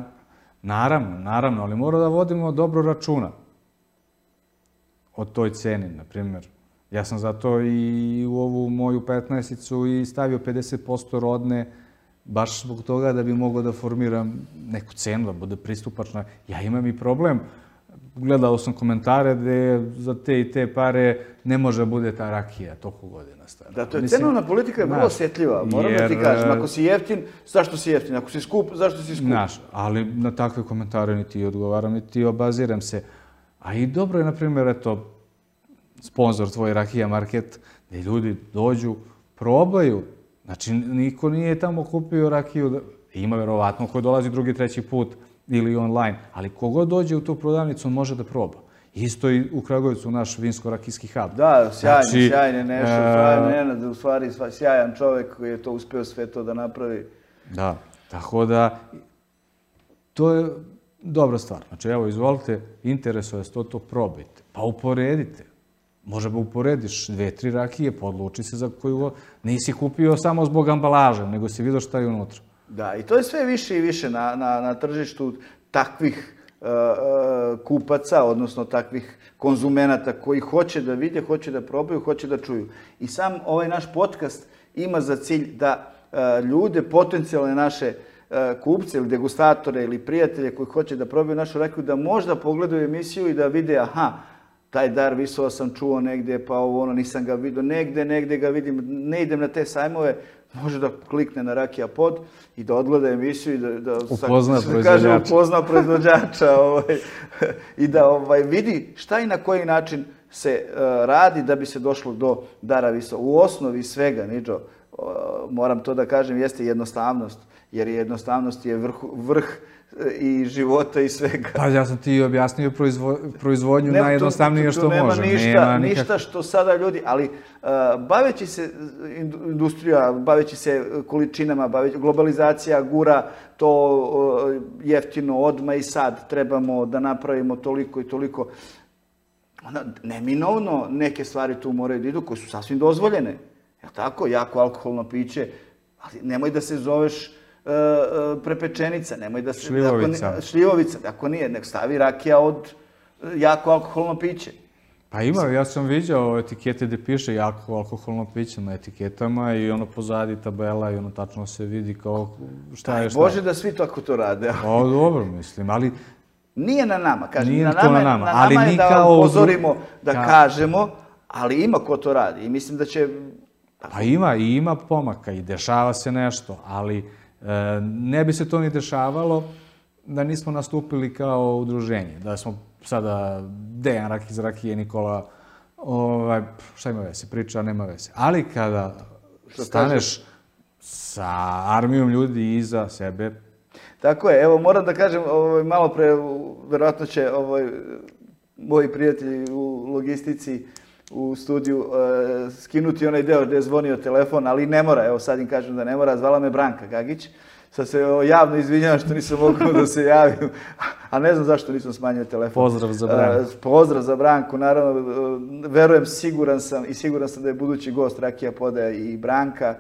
naravno, naravno, ali mora da vodimo dobro računa o toj ceni, na primjer. Ja sam zato i u ovu moju petnaesticu i stavio pedeset posto rodne, baš zbog toga da bi mogao da formiram neku cenu, da bude pristupačna. Ja imam i problem. Gledao sam komentare gde za te i te pare ne može da bude ta rakija toliko godina stara. Da, to je Mislim, cenovna politika je vrlo znaš, osjetljiva, moram da ti jer, kažem. Ako si jeftin, zašto si jeftin? Ako si skup, zašto si skup? Znaš, ali na takve komentare niti odgovaram, niti obaziram se. A i dobro je, na primjer, eto, sponsor tvoj Rakija Market, gdje ljudi dođu, probaju. Znači, niko nije tamo kupio rakiju. Da... Ima verovatno ko dolazi drugi, treći put ili online, ali kogod dođe u tu prodavnicu, on može da proba. Isto i u Kragujevcu, naš vinsko-rakijski hub. Da, sjajni, Znači, sjajni nešto, e, sjajni Nenad, u stvari sva- sjajan čovjek koji je to uspio sve to da napravi. Da, tako da, to je dobra stvar. Znači, evo, izvolite, interesuje se to, to probajte. Pa uporedite. Može ba uporediš dve, tri rakije, pa odluči se za koju god. Nisi kupio samo zbog ambalaže, nego si vidio šta je unutra. Da, i to je sve više i više na, na, na tržištu takvih uh, uh, kupaca, odnosno takvih konzumenata koji hoće da vide, hoće da probaju, hoće da čuju. I sam ovaj naš podcast ima za cilj da uh, ljude, potencijalne naše uh, kupce ili degustatore ili prijatelje koji hoće da probaju našu rakiju, da možda pogledaju emisiju i da vide, aha, taj dar Visova sam čuo negdje, pa ovo ono nisam ga vidio, negdje, negdje ga vidim, ne idem na te sajmove, može da klikne na Rakija Pod i da odgleda emisiju i da, da upozna sa, kaže, upozna proizvođača ovaj, i da ovaj, vidi šta i na koji način se uh, radi da bi se došlo do dara Visa. U osnovi svega, Niđo, uh, moram to da kažem, jeste jednostavnost, jer jednostavnost je vrh, vrh i života i svega. Pa ja sam ti objasnio proizvo, proizvodnju ne, najjednostavnije što nema može. Ništa, nema ništa nikak... što sada ljudi, ali uh, baveći se industrija, baveći se količinama, baveći, globalizacija gura to uh, jeftino odmah i sad trebamo da napravimo toliko i toliko. Onda, neminovno neke stvari tu moraju da idu koje su sasvim dozvoljene. Je tako? Jako alkoholno piće, ali nemoj da se zoveš uh, uh, prepečenica, nemoj da se... Šljivovica. Ako, šljivovica, ako nije, nek stavi rakija od uh, jako alkoholno piće. Pa ima, ja sam viđao etikete gdje piše jako alkoholno piće na etiketama i ono pozadi tabela i ono tačno se vidi kao šta je šta. Bože da svi tako to rade. O, dobro mislim, ali... Nije na nama, kažem. Nije na to nama, na nama, na ali nama je da kao upozorimo, da ka... kažemo, ali ima ko to radi i mislim da će... Pa ima, i ima pomaka i dešava se nešto, ali e, ne bi se to ni dešavalo da nismo nastupili kao udruženje, da smo sada Dejan Rak iz Rakije, Nikola, ovaj, šta ima veze, priča, nema veze. Ali kada što staneš kažeš? Sa armijom ljudi iza sebe... Tako je, evo moram da kažem, ovaj, malo pre, verovatno će ovaj, moji prijatelji u logistici u studiju uh, skinuti onaj deo gdje je zvonio telefon, ali ne mora, evo sad im kažem da ne mora, zvala me Branka Gagić. Sad se o, javno izvinjavam što nisam mogao da se javim, a ne znam zašto nisam smanjio telefon. Pozdrav za Branku. Uh, pozdrav za Branku, naravno, uh, verujem, siguran sam i siguran sam da je budući gost Rakija Poda i Branka.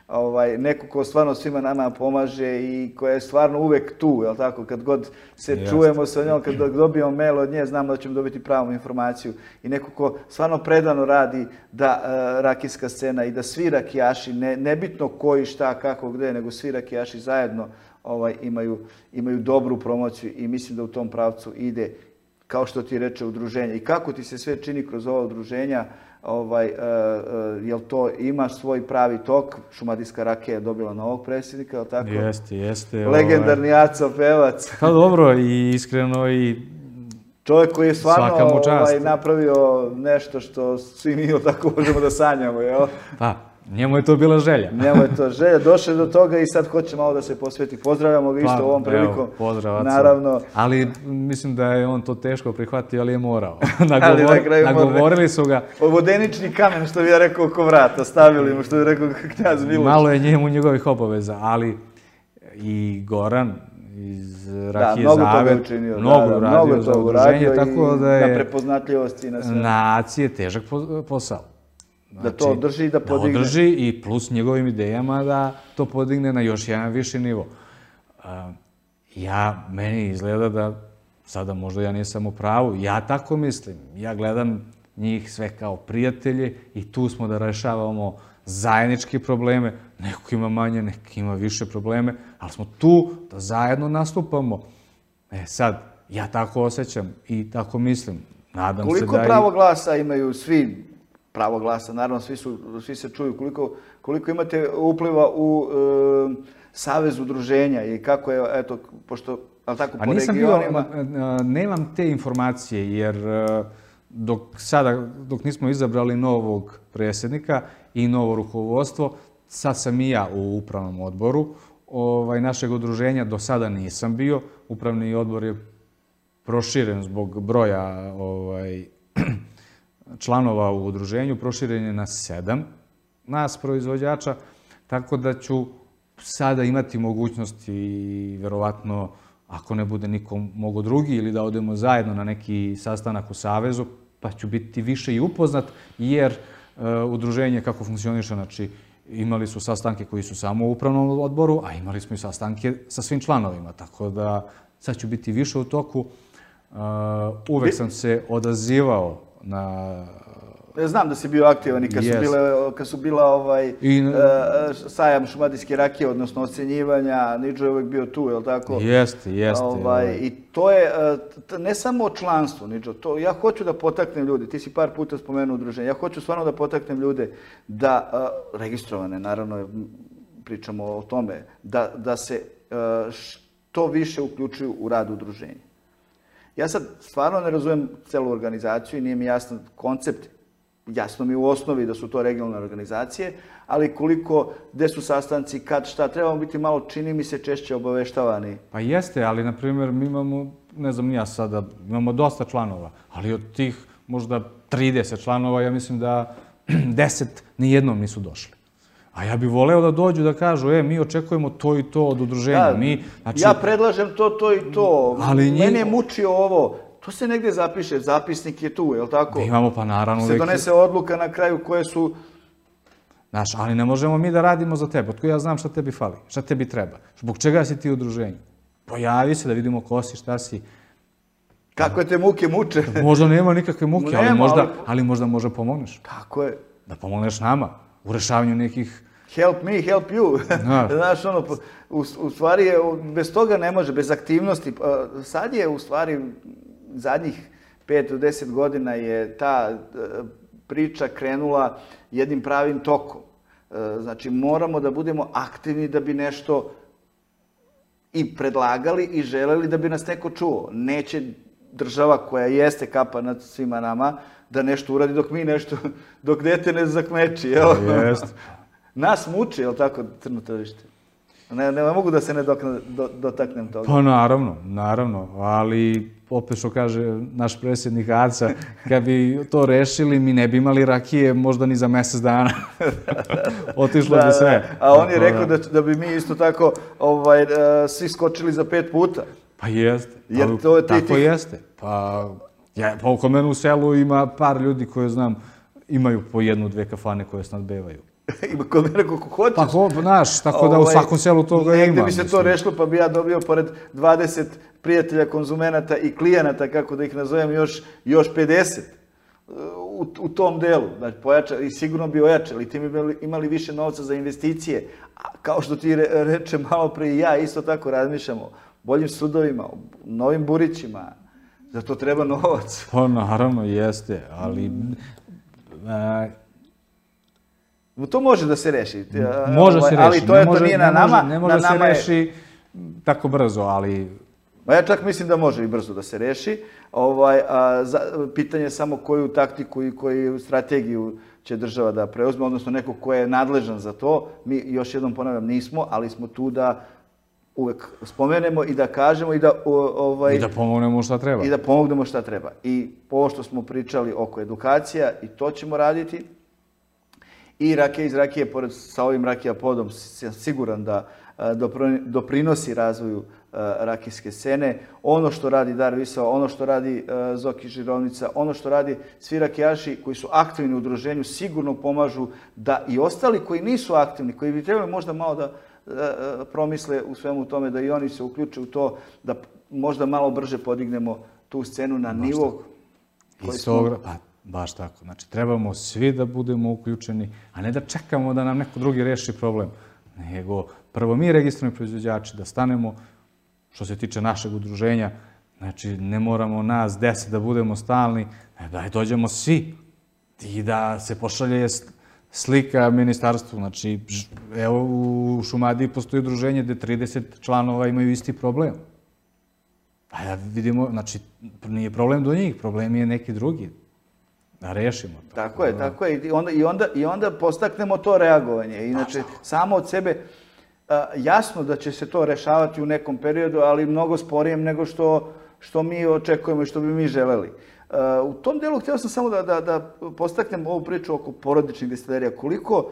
Ovaj, neko ko stvarno svima nama pomaže i koja je stvarno uvek tu, jel tako, kad god se Jeste. čujemo sa njom, kad dobijemo mail od nje, znamo da ćemo dobiti pravu informaciju i neko ko stvarno predano radi da uh, rakijska scena i da svi rakijaši, ne, nebitno koji, šta, kako, gde, nego svi rakijaši zajedno ovaj, imaju, imaju dobru promociju i mislim da u tom pravcu ide, kao što ti reče, udruženje. I kako ti se sve čini kroz ova udruženja, ovaj, uh, uh, jel to ima svoj pravi tok? Šumadijska rakija je dobila novog predsjednika, je li tako? Jeste, jeste. Legendarni ovaj... Aco Pevac. Pa dobro, i iskreno i čovjek koji je stvarno ovaj, napravio nešto što svi mi tako možemo da sanjamo, jel? Pa, njemu je to bila želja. Njemu je to želja. Došao do toga i sad hoće malo da se posveti. Pozdravljamo ga isto pa, ovom prilikom. Evo, pozdrav, Aco. Naravno. Ali mislim da je on to teško prihvatio, ali je morao. Nagovor, na nagovorili su ga. Vodenični kamen, što bi ja rekao, oko vrata. Stavili mu, što bi rekao knjaz Miloš. Malo je njemu njegovih obaveza, ali i Goran iz Rakije da, Zavet učinio, mnogo da, da, uradio mnogo za udruženje, tako da je na prepoznatljivosti i na sve. Na Aci je težak posao. Znači, da to održi i da podigne. Da održi i plus njegovim idejama da to podigne na još jedan viši nivo. Uh, ja, meni izgleda da, sada možda ja nisam u pravu, ja tako mislim. Ja gledam njih sve kao prijatelje i tu smo da rešavamo zajedničke probleme. Neko ima manje, neko ima više probleme, ali smo tu da zajedno nastupamo. E sad, ja tako osjećam i tako mislim. Nadam Koliko se da pravo i... glasa imaju svi, pravo glasa, naravno svi, su, svi se čuju, koliko, koliko imate upliva u e, savez udruženja i kako je, eto, pošto, ali tako, po regionima... Bio, nemam te informacije, jer dok sada, dok nismo izabrali novog predsjednika i novo rukovodstvo, sad sam i ja u upravnom odboru ovaj, našeg udruženja, do sada nisam bio. Upravni odbor je proširen zbog broja ovaj, članova u udruženju, proširen je na sedam nas proizvođača, tako da ću sada imati mogućnosti i verovatno, ako ne bude nikom mogo drugi, ili da odemo zajedno na neki sastanak u Savezu, pa ću biti više i upoznat, jer uh, udruženje kako funkcioniše, znači imali su sastanke koji su samo u upravnom odboru, a imali smo i sastanke sa svim članovima, tako da sad ću biti više u toku. Uh, uvek sam se odazivao na... Ja znam da si bio aktivan i kad yes. su bile, kad su bila ovaj, I, uh, sajam šumadijske rakije, odnosno ocenjivanja, Niđo je uvek bio tu, je li tako? Jeste, jeste. Ovaj, I to je ne samo članstvo, Niđo, to, ja hoću da potaknem ljudi, ti si par puta spomenuo udruženje, ja hoću stvarno da potaknem ljude da, uh, registrovane, naravno, pričamo o tome, da, da se što više uključuju u rad udruženja. Ja sad stvarno ne razumijem celu organizaciju i nije mi jasan koncept. Jasno mi u osnovi da su to regionalne organizacije, ali koliko, gde su sastanci, kad, šta, trebamo biti malo, čini mi se, češće obaveštavani. Pa jeste, ali na primjer mi imamo, ne znam ni ja sada, imamo dosta članova, ali od tih možda trideset članova, ja mislim da deset nijednom nisu došli. A ja bih voleo da dođu da kažu, e, mi očekujemo to i to od udruženja. Mi, znači, ja predlažem to, to i to. Ali njih... Mene je mučio ovo. To se negdje zapiše, zapisnik je tu, je li tako? Imamo, pa naravno. Se donese odluka na kraju koje su... Znaš, ali ne možemo mi da radimo za tebe. Otko ja znam šta tebi fali, šta tebi treba. Zbog čega si ti u udruženju? Pojavi se da vidimo ko si, šta si. Kakve te muke muče? Možda nema nikakve muke, ali možda, ali možda može pomogneš. Tako je. Da pomogneš nama u rešavanju nekih... Help me, help you. Znaš, ono, u, u stvari, je, bez toga ne može, bez aktivnosti. Sad je, u stvari, zadnjih pet do deset godina je ta priča krenula jednim pravim tokom. Znači, moramo da budemo aktivni da bi nešto i predlagali i želeli da bi nas neko čuo. Neće država koja jeste kapa nad svima nama da nešto uradi dok mi nešto, dok dete ne zakmeči. Jeste. Nas muči, je li tako, crno tržište? Ne, ne mogu da se ne dokne, do, dotaknem toga. Pa naravno, naravno, ali opet što kaže naš predsjednik Aca, kad bi to rešili, mi ne bi imali rakije možda ni za mjesec dana. Otišlo da, bi sve. Da. A on je rekao da, da bi mi isto tako ovaj, uh, svi skočili za pet puta. Pa jeste. Jer to je tako ti... jeste. Pa, ja, pa oko mene u selu ima par ljudi koje znam, imaju po jednu, dve kafane koje snadbevaju. Ima kod mene koliko hoćeš. Pa ko, znaš, tako da u svakom selu toga ima. Negde bi se to rešilo, pa bi ja dobio pored dvadeset prijatelja, konzumenata i klijenata, kako da ih nazovem, još, još pedeset u, u tom delu. Znači, pojača, i sigurno bi ojačali, ti bi imali više novca za investicije. A kao što ti reče malo pre i ja, isto tako razmišljamo, boljim sudovima, novim burićima. Za to treba novac. Pa naravno, jeste, ali... A, to može da se reši. Može se reši. Ali to, je, to nije na nama. Ne može da se reši tako brzo, ali... Ja čak mislim da može i brzo da se reši. Ovaj, a, za, pitanje je samo koju taktiku i koju strategiju će država da preuzme, odnosno neko ko je nadležan za to. Mi, još jednom ponavljam, nismo, ali smo tu da uvek spomenemo i da kažemo i da... Ovaj, I da pomognemo šta treba. I da pomognemo šta treba. I ovo što smo pričali oko edukacija, i to ćemo raditi. I rakija iz rakije, pored sa ovim rakija podom, sam siguran da doprinosi razvoju rakijske scene. Ono što radi Dar Visao, ono što radi Zoki Žirovnica, ono što radi svi rakijaši koji su aktivni u udruženju, sigurno pomažu da i ostali koji nisu aktivni, koji bi trebali možda malo da promisle u svemu tome, da i oni se uključe u to, da možda malo brže podignemo tu scenu na nivo koji smo... Baš tako. Znači, trebamo svi da budemo uključeni, a ne da čekamo da nam neko drugi reši problem. Nego, prvo mi registrovani proizvođači da stanemo, što se tiče našeg udruženja, znači, ne moramo nas deset da budemo stalni, da dođemo svi i da se pošalje slika ministarstvu. Znači, evo, u Šumadiji postoji udruženje gde trideset članova imaju isti problem. Pa da vidimo, znači, nije problem do njih, problem je neki drugi. Da rešimo to. Tako je, tako je. I onda, i onda, i onda postaknemo to reagovanje. Inače, samo od sebe, jasno da će se to rešavati u nekom periodu, ali mnogo sporijem nego što, što mi očekujemo i što bi mi želeli. U tom delu htio sam samo da, da, da postaknem ovu priču oko porodičnih destilerija. Koliko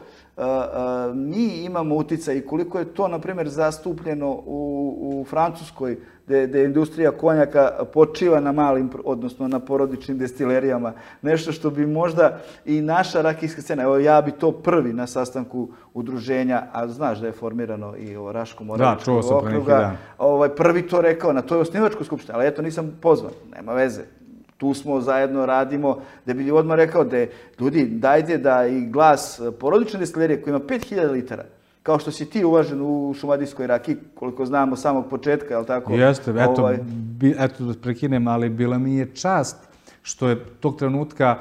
mi imamo uticaj i koliko je to, na primjer, zastupljeno u, u Francuskoj, gde, gde industrija konjaka počiva na malim, odnosno na porodičnim destilerijama. Nešto što bi možda i naša rakijska scena, evo ja bi to prvi na sastanku udruženja, a znaš da je formirano i ovo Raško-Moravičkog okruga, ovaj, prvi to rekao na toj osnivačkoj skupštini, ali eto nisam pozvan, nema veze. Tu smo zajedno radimo, da bi odmah rekao da ljudi, dajte da i glas porodične destilerije koji ima pet hiljada litara, kao što si ti uvažen u šumadijskoj rakiji, koliko znamo samog početka, je li tako? Jeste, eto, ovaj... bi, eto da prekinem, ali bila mi je čast što je tog trenutka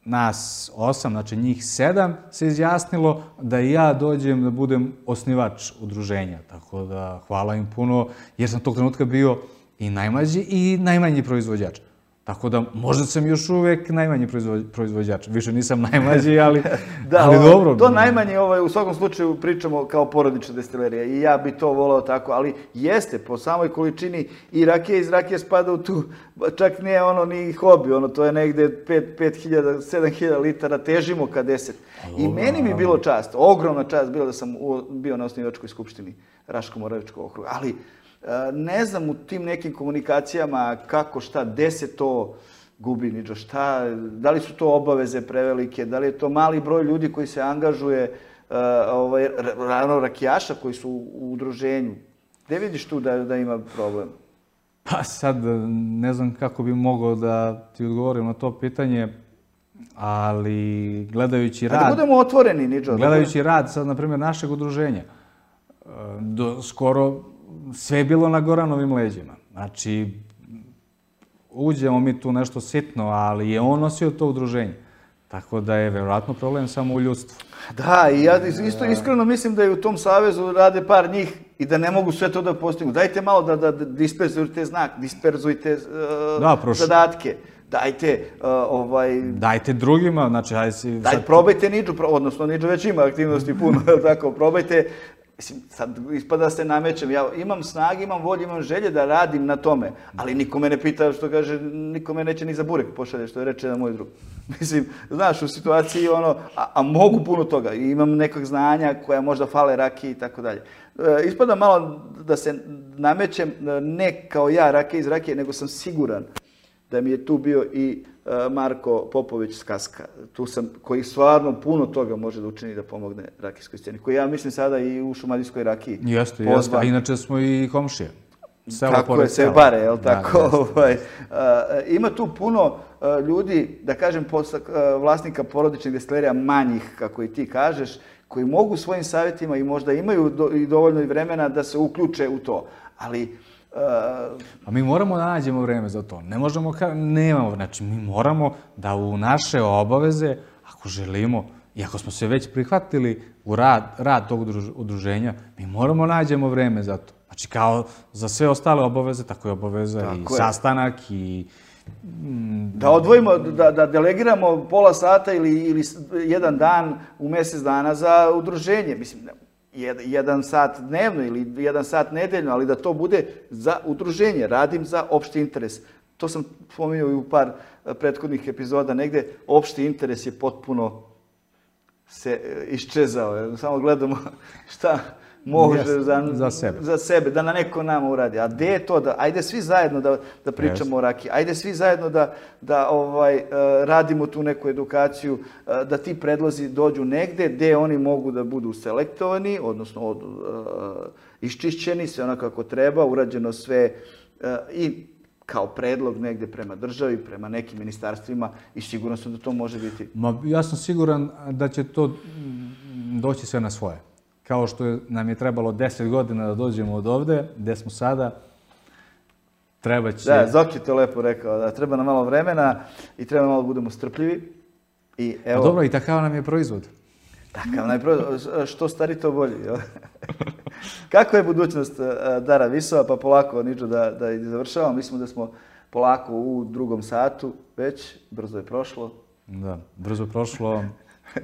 nas osam, znači njih sedam, se izjasnilo da i ja dođem da budem osnivač udruženja. Tako da hvala im puno, jer sam tog trenutka bio i najmlađi i najmanji proizvođač. Tako da možda sam još uvek najmanji proizvođač. Više nisam najmlađi, ali, da, ali ovo, dobro. To najmanje, ovaj, u svakom slučaju pričamo kao porodična destilerija i ja bi to volao tako, ali jeste po samoj količini i rakija iz rakije spada u tu, čak nije ono ni hobi, ono to je negde pet hiljada, sedam hiljada litara, težimo ka deset. I meni mi bilo čast, ogromna čast bilo da sam bio na osnivačkoj skupštini Raško-Moravičkog okruga, ali ne znam u tim nekim komunikacijama kako, šta, gde se to gubi, Niđo, šta, da li su to obaveze prevelike, da li je to mali broj ljudi koji se angažuje, ovaj, rano rakijaša koji su u udruženju. Gde vidiš tu da, da ima problem? Pa sad ne znam kako bi mogao da ti odgovorim na to pitanje, ali gledajući rad... A da budemo otvoreni, Niđo. Gledajući rad, sad, na primjer, našeg udruženja, do skoro sve je bilo na Goranovim leđima. Znači, uđemo mi tu nešto sitno, ali je on nosio to udruženje. Tako da je verovatno problem samo u ljudstvu. Da, i ja isto iskreno mislim da je u tom savezu rade par njih i da ne mogu sve to da postignu. Dajte malo da, da disperzujte znak, disperzujte uh, da, prošlo. zadatke. Dajte, uh, ovaj... Dajte drugima, znači, ajde si... Daj, sad... probajte Niđu, odnosno Niđu već ima aktivnosti puno, tako, probajte. Mislim, sad ispada se namećem, ja imam snage, imam volje, imam želje da radim na tome, ali niko me ne pita, što kaže, niko me neće ni za burek pošalje, što je reče na moj drug. Mislim, znaš, u situaciji ono, a, a mogu puno toga, imam nekog znanja koja možda fale rakiji i tako dalje. Ispada malo da se namećem, ne kao ja rakije iz rakije, nego sam siguran da mi je tu bio i Marko Popović s Kaska, tu sam, koji stvarno puno toga može da učini da pomogne rakijskoj sceni, koji ja mislim sada i u šumadijskoj rakiji. Jeste, jeste, a inače smo i komšije. Tako je, se bare, jel tako? Ima tu puno ljudi, da kažem, vlasnika porodičnih destilerija, manjih, kako i ti kažeš, koji mogu svojim savjetima i možda imaju i dovoljno i vremena da se uključe u to, ali... A mi moramo da nađemo vreme za to. Ne možemo, nemamo, znači mi moramo da u naše obaveze, ako želimo, i ako smo se već prihvatili u rad, rad tog udruženja, mi moramo nađemo vreme za to. Znači kao za sve ostale obaveze, tako je obaveza tako i je. Sastanak i... Da odvojimo, da, da delegiramo pola sata ili, ili jedan dan u mjesec dana za udruženje. Mislim, jedan sat dnevno ili jedan sat nedeljno, ali da to bude za udruženje. Radim za opšti interes. To sam spominjao i u par prethodnih epizoda. Negde opšti interes je potpuno se iščezao. Samo gledamo šta može za, za, sebe. za sebe, da na neko nama uradi. A gde je to? Da, ajde svi zajedno da, da pričamo yes. o rakiji. Ajde svi zajedno da, da ovaj, radimo tu neku edukaciju, da ti predlozi dođu negde gde oni mogu da budu selektovani, odnosno od, uh, iščišćeni, sve ono kako treba, urađeno sve uh, i kao predlog negde prema državi, prema nekim ministarstvima i sigurno sam da to može biti. Ma, ja sam siguran da će to doći sve na svoje. Kao što nam je trebalo deset godina da dođemo od ovde, gde smo sada, treba će... Da, Zoki to lepo rekao, da treba nam malo vremena i treba malo budemo strpljivi. I evo... A dobro, i takav nam je proizvod. Takav nam je proizvod, što stari to bolji. Kako je budućnost Dara Visova, pa polako, Niđo, da, da završavamo. Mislimo da smo polako u drugom satu, već, brzo je prošlo. Da, brzo je prošlo.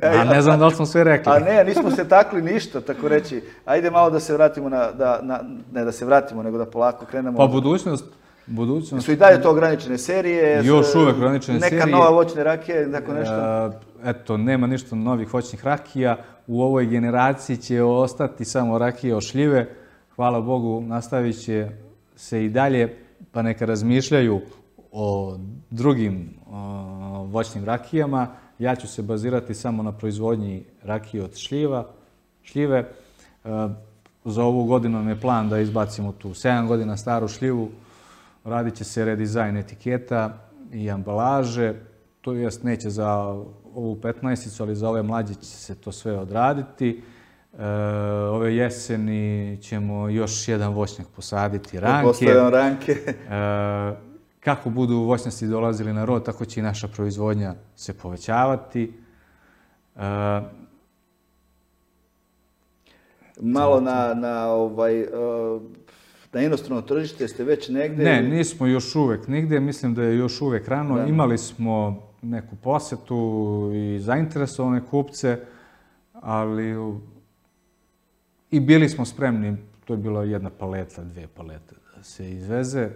A ne znam da li smo sve rekli. A ne, nismo se takli ništa, tako reći. Ajde malo da se vratimo na, da, na, ne da se vratimo, nego da polako krenemo. Pa budućnost, budućnost... Su i dalje to ograničene serije? Još uvek ograničene neka serije. Neka nova voćne rakije, tako nešto? Eto, nema ništa novih voćnih rakija. U ovoj generaciji će ostati samo rakije od šljive. Hvala Bogu, nastavit će se i dalje, pa neka razmišljaju o drugim o, voćnim rakijama. Ja ću se bazirati samo na proizvodnji rakije od šljiva, šljive. E, za ovu godinu nam je plan da izbacimo tu sedam godina staru šljivu. Radit će se redizajn etiketa i ambalaže. To jest neće za ovu petnaesticu, ali za ove mlađe će se to sve odraditi. E, ove jeseni ćemo još jedan voćnjak posaditi, ranke. Postavljamo ranke. E, kako budu voćnjaci dolazili na rod, tako će i naša proizvodnja se povećavati. Malo na, na, ovaj, na inostrano tržište ste već negde? Ne, nismo još uvek nigde. Mislim da je još uvek rano. Da. Imali smo neku posetu i zainteresovane kupce, ali i bili smo spremni, to je bila jedna paleta, dve palete, da se izveze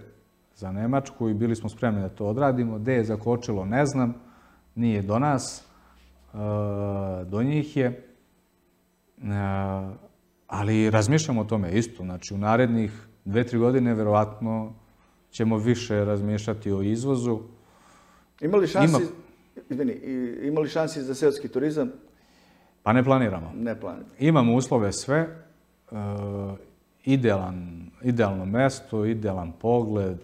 za Nemačku i bili smo spremni da to odradimo. Gde je zakočilo, ne znam, nije do nas, do njih je. Ali razmišljamo o tome isto. Znači, u narednih dve, tri godine verovatno ćemo više razmišljati o izvozu. Ima li šansi, Ima... Izvini, ima li šansi za seoski turizam? Pa ne planiramo. Ne planiramo. Imamo uslove sve. E, idealan, idealno mesto, idealan pogled,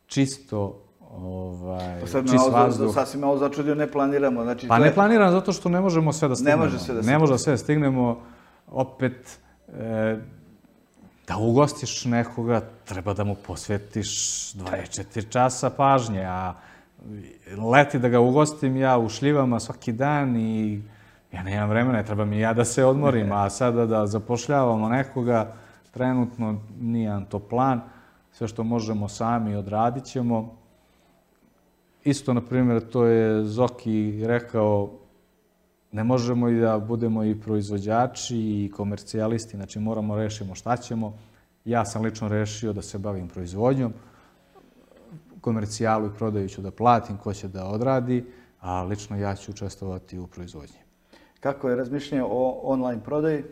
čisto, ovaj, pa sad čist malo, vazduh. Sasvim malo začudio, ne planiramo. Znači, pa to ne je... planiramo zato što ne možemo sve da stignemo. Ne može sve da stignemo. Ne može da sve da stignemo. Opet, e, da ugostiš nekoga, treba da mu posvetiš dvadeset četiri časa pažnje, a leti da ga ugostim ja u šljivama svaki dan i ja nemam vremena, treba mi ja da se odmorim, a sada da zapošljavamo nekoga, trenutno nije nam to plan, sve što možemo sami odradit ćemo. Isto, na primjer, to je Zoki rekao, ne možemo i da budemo i proizvođači i komercijalisti, znači moramo rešimo šta ćemo. Ja sam lično rešio da se bavim proizvodnjom, komercijalu i prodaju ću da platim, ko će da odradi, a lično ja ću učestvovati u proizvodnji. Kako je razmišljanje o online prodaji?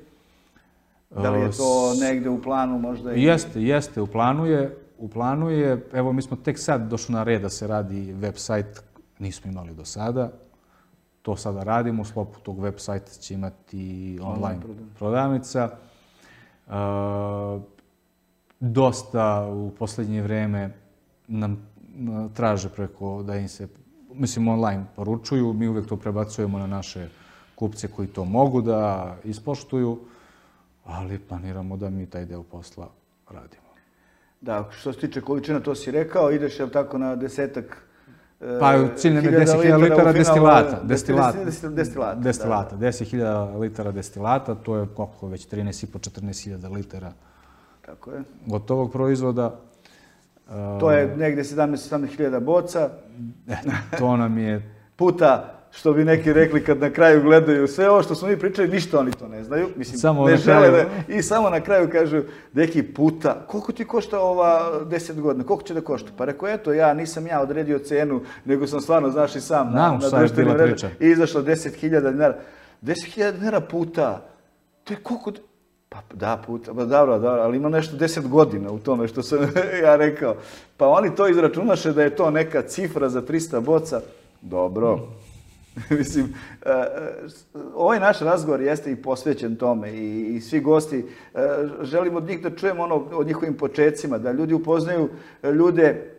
Da li je to negde u planu možda? I... Jeste, jeste, u planu je. U planu je, evo mi smo tek sad došli na red da se radi web sajt, nismo imali do sada. To sada radimo, u sklopu tog web sajta će imati online prodavnica. E, dosta u poslednje vreme nam traže preko da im se, mislim, online poručuju. Mi uvek to prebacujemo na naše kupce koji to mogu da ispoštuju, ali planiramo da mi taj deo posla radimo. Da, što se tiče količina, to si rekao, ideš je tako na desetak Pa cilj nam je deset hiljada litara destilata. Destilata. Destilata. deset hiljada litara destilata, to je koliko već trinaest i po do četrnaest hiljada litara Tako je. gotovog proizvoda. To je negde sedamnaest hiljada boca. To nam je... Puta, što bi neki rekli kad na kraju gledaju sve ovo što smo mi pričali, ništa oni to ne znaju. Mislim, samo ne žele da... I samo na kraju kažu, neki puta, koliko ti košta ova deset godina, koliko će da košta? Pa rekao, eto, ja nisam ja odredio cenu, nego sam stvarno, znaš, i sam Znam, na, na društvenim mrežama. I izašlo deset hiljada dinara. deset hiljada dinara puta, to je koliko... Pa da, puta, pa dobro, dobro, ali ima nešto deset godina u tome što sam ja rekao. Pa oni to izračunaše da je to neka cifra za trista boca. Dobro. Mislim, ovaj naš razgovor jeste i posvećen tome i, i svi gosti želimo od njih da čujemo ono o njihovim počecima, da ljudi upoznaju ljude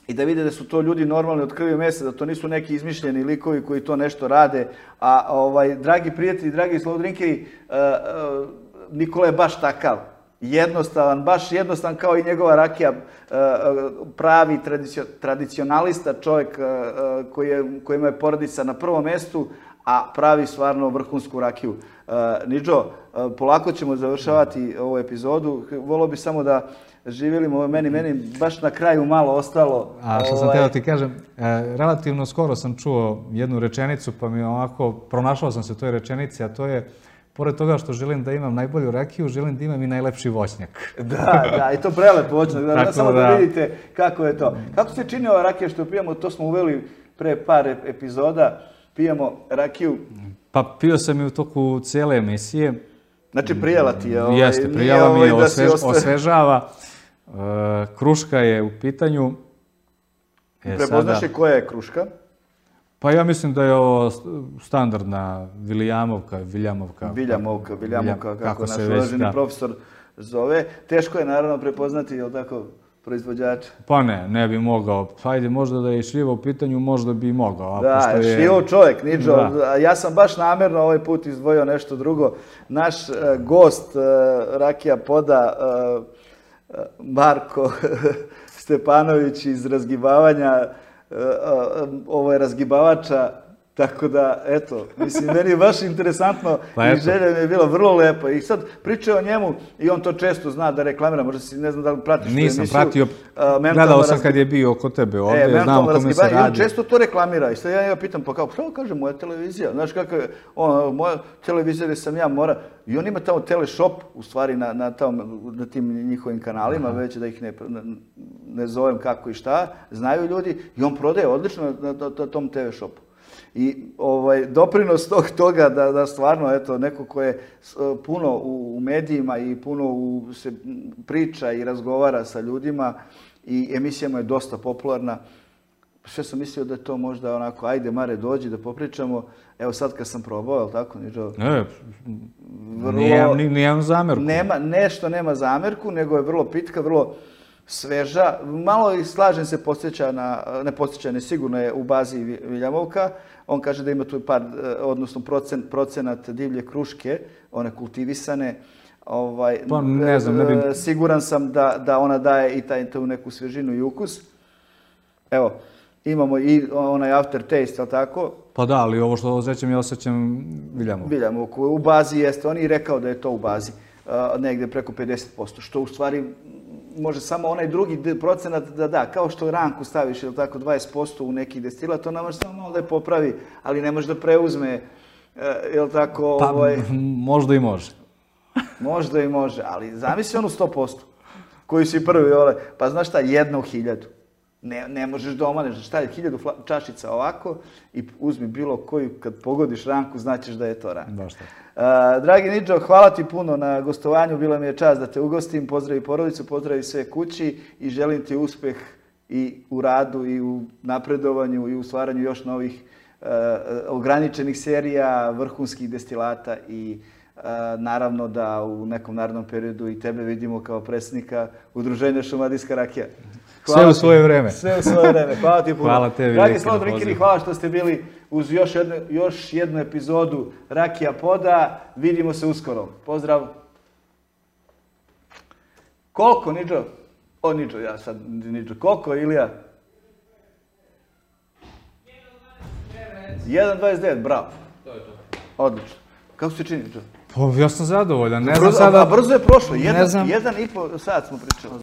i da vide da su to ljudi normalni od krvi mesa, da to nisu neki izmišljeni likovi koji to nešto rade. A ovaj, dragi prijatelji, dragi slobodrinkeri, Nikola je baš takav. Jednostavan, baš jednostavan kao i njegova rakija, pravi tradicionalista, čovjek kojima je porodica na prvom mjestu, a pravi stvarno vrhunsku rakiju. Niđo, polako ćemo završavati ovu epizodu. Volio bi samo da živjelimo meni, meni baš na kraju malo ostalo. A što sam teo ti kažem, relativno skoro sam čuo jednu rečenicu, pa mi ovako pronašao sam se u toj rečenici, a to je: pored toga što želim da imam najbolju rakiju, želim da imam i najlepši voćnjak. Da, da, i to prelep voćnjak. Da, samo da vidite kako je to. Kako se čini ova rakija što pijemo, to smo uveli pre par epizoda. Pijemo rakiju. Pa pio sam i u toku cijele emisije. Znači prijela ti je. Ovaj, Jeste, prijela mi je, osvež, osvežava. Uh, kruška je u pitanju. E, Prepoznaš je koja je kruška? Pa ja mislim da je ovo standardna Viljamovka, Viljamovka. Viljamovka, Viljamovka, kako naš uvaženi profesor zove. Teško je naravno prepoznati, je li tako, proizvođača? Pa ne, ne bi mogao. Hajde, možda da je šljiva u pitanju, možda bi mogao. Da, je šljivo čovjek, Niđo. Ja sam baš namjerno ovaj put izdvojio nešto drugo. Naš gost Rakija Poda, Marko Stepanović iz razgibavanja, ovo je razgibavača, tako da, eto, mislim, meni je baš interesantno i želja mi je bila vrlo lepa. I sad pričaju o njemu i on to često zna da reklamira, možda si ne znam da li pratiš tu emisiju. Nisam pratio, gledao sam kad je bio oko tebe ovdje, znam o kome se radi. I on često to reklamira i sad ja njega pitam, pa kao, što kaže moja televizija? Znaš kako je, moja televizija gdje sam ja mora, i on ima tamo teleshop, u stvari na tim njihovim kanalima, već da ih ne zovem kako i šta, znaju ljudi i on prodaje odlično na tom te ve shopu. I doprinos toga da stvarno, eto, neko ko je puno u medijima i puno se priča i razgovara sa ljudima i emisija mu je dosta popularna, sve sam mislio da je to možda onako, ajde Mare, dođi da popričamo, evo sad kad sam probao, je li tako, Niđo? Ne, nijem zamjerku. Nešto nema zamjerku, nego je vrlo pitka, vrlo sveža. Malo i slažem se, podsjeća na, ne podsjeća, ne sigurno je u bazi Viljamovka. On kaže da ima tu par, odnosno procenat divlje kruške, one kultivisane. Pa ne znam, ne bi... Siguran sam da ona daje i tu neku svežinu i ukus. Evo, imamo i onaj aftertaste, ali tako? Pa da, ali ovo što osjećam, ja osjećam Viljamovku. Viljamovku. U bazi jeste, on je rekao da je to u bazi, negde preko pedeset posto, što u stvari može samo onaj drugi procenat da da, kao što ranku staviš, ili tako, dvadeset posto u neki destilat, to ne može samo malo da je popravi, ali ne može da preuzme, ili tako... Pa možda i može. Možda i može, ali zamisli onu sto posto, koji si prvi, pa znaš šta, jedna u hiljadu. Ne možeš da omaneš, šta je, hiljadu čašica ovako i uzmi bilo koju, kad pogodiš ranku, znaćeš da je to ranka. Baš tako. Dragi Niđo, hvala ti puno na gostovanju, bila mi je čast da te ugostim, pozdravi porodicu, pozdravi sve kući i želim ti uspeh i u radu i u napredovanju i u stvaranju još novih ograničenih serija, vrhunskih destilata i naravno da u nekom narednom periodu i tebe vidimo kao predsjednika Udruženja Šumadijska rakija. Sve u svoje vreme. Sve u svoje vreme. Hvala ti puno. Hvala tebi. Dragi Slobodrinkeri, hvala što ste bili uz još jednu epizodu Rakija Poda. Vidimo se uskoro. Pozdrav. Koliko, Niđo? O, Niđo, ja sad, Niđo. Koliko, Ilija? jedan dvadeset devet, bravo. To je to. Odlično. Kako se čini, Niđo? Ja sam zadovoljan. Ne znam sada... Brzo je prošlo. Jedan i po sat smo pričali.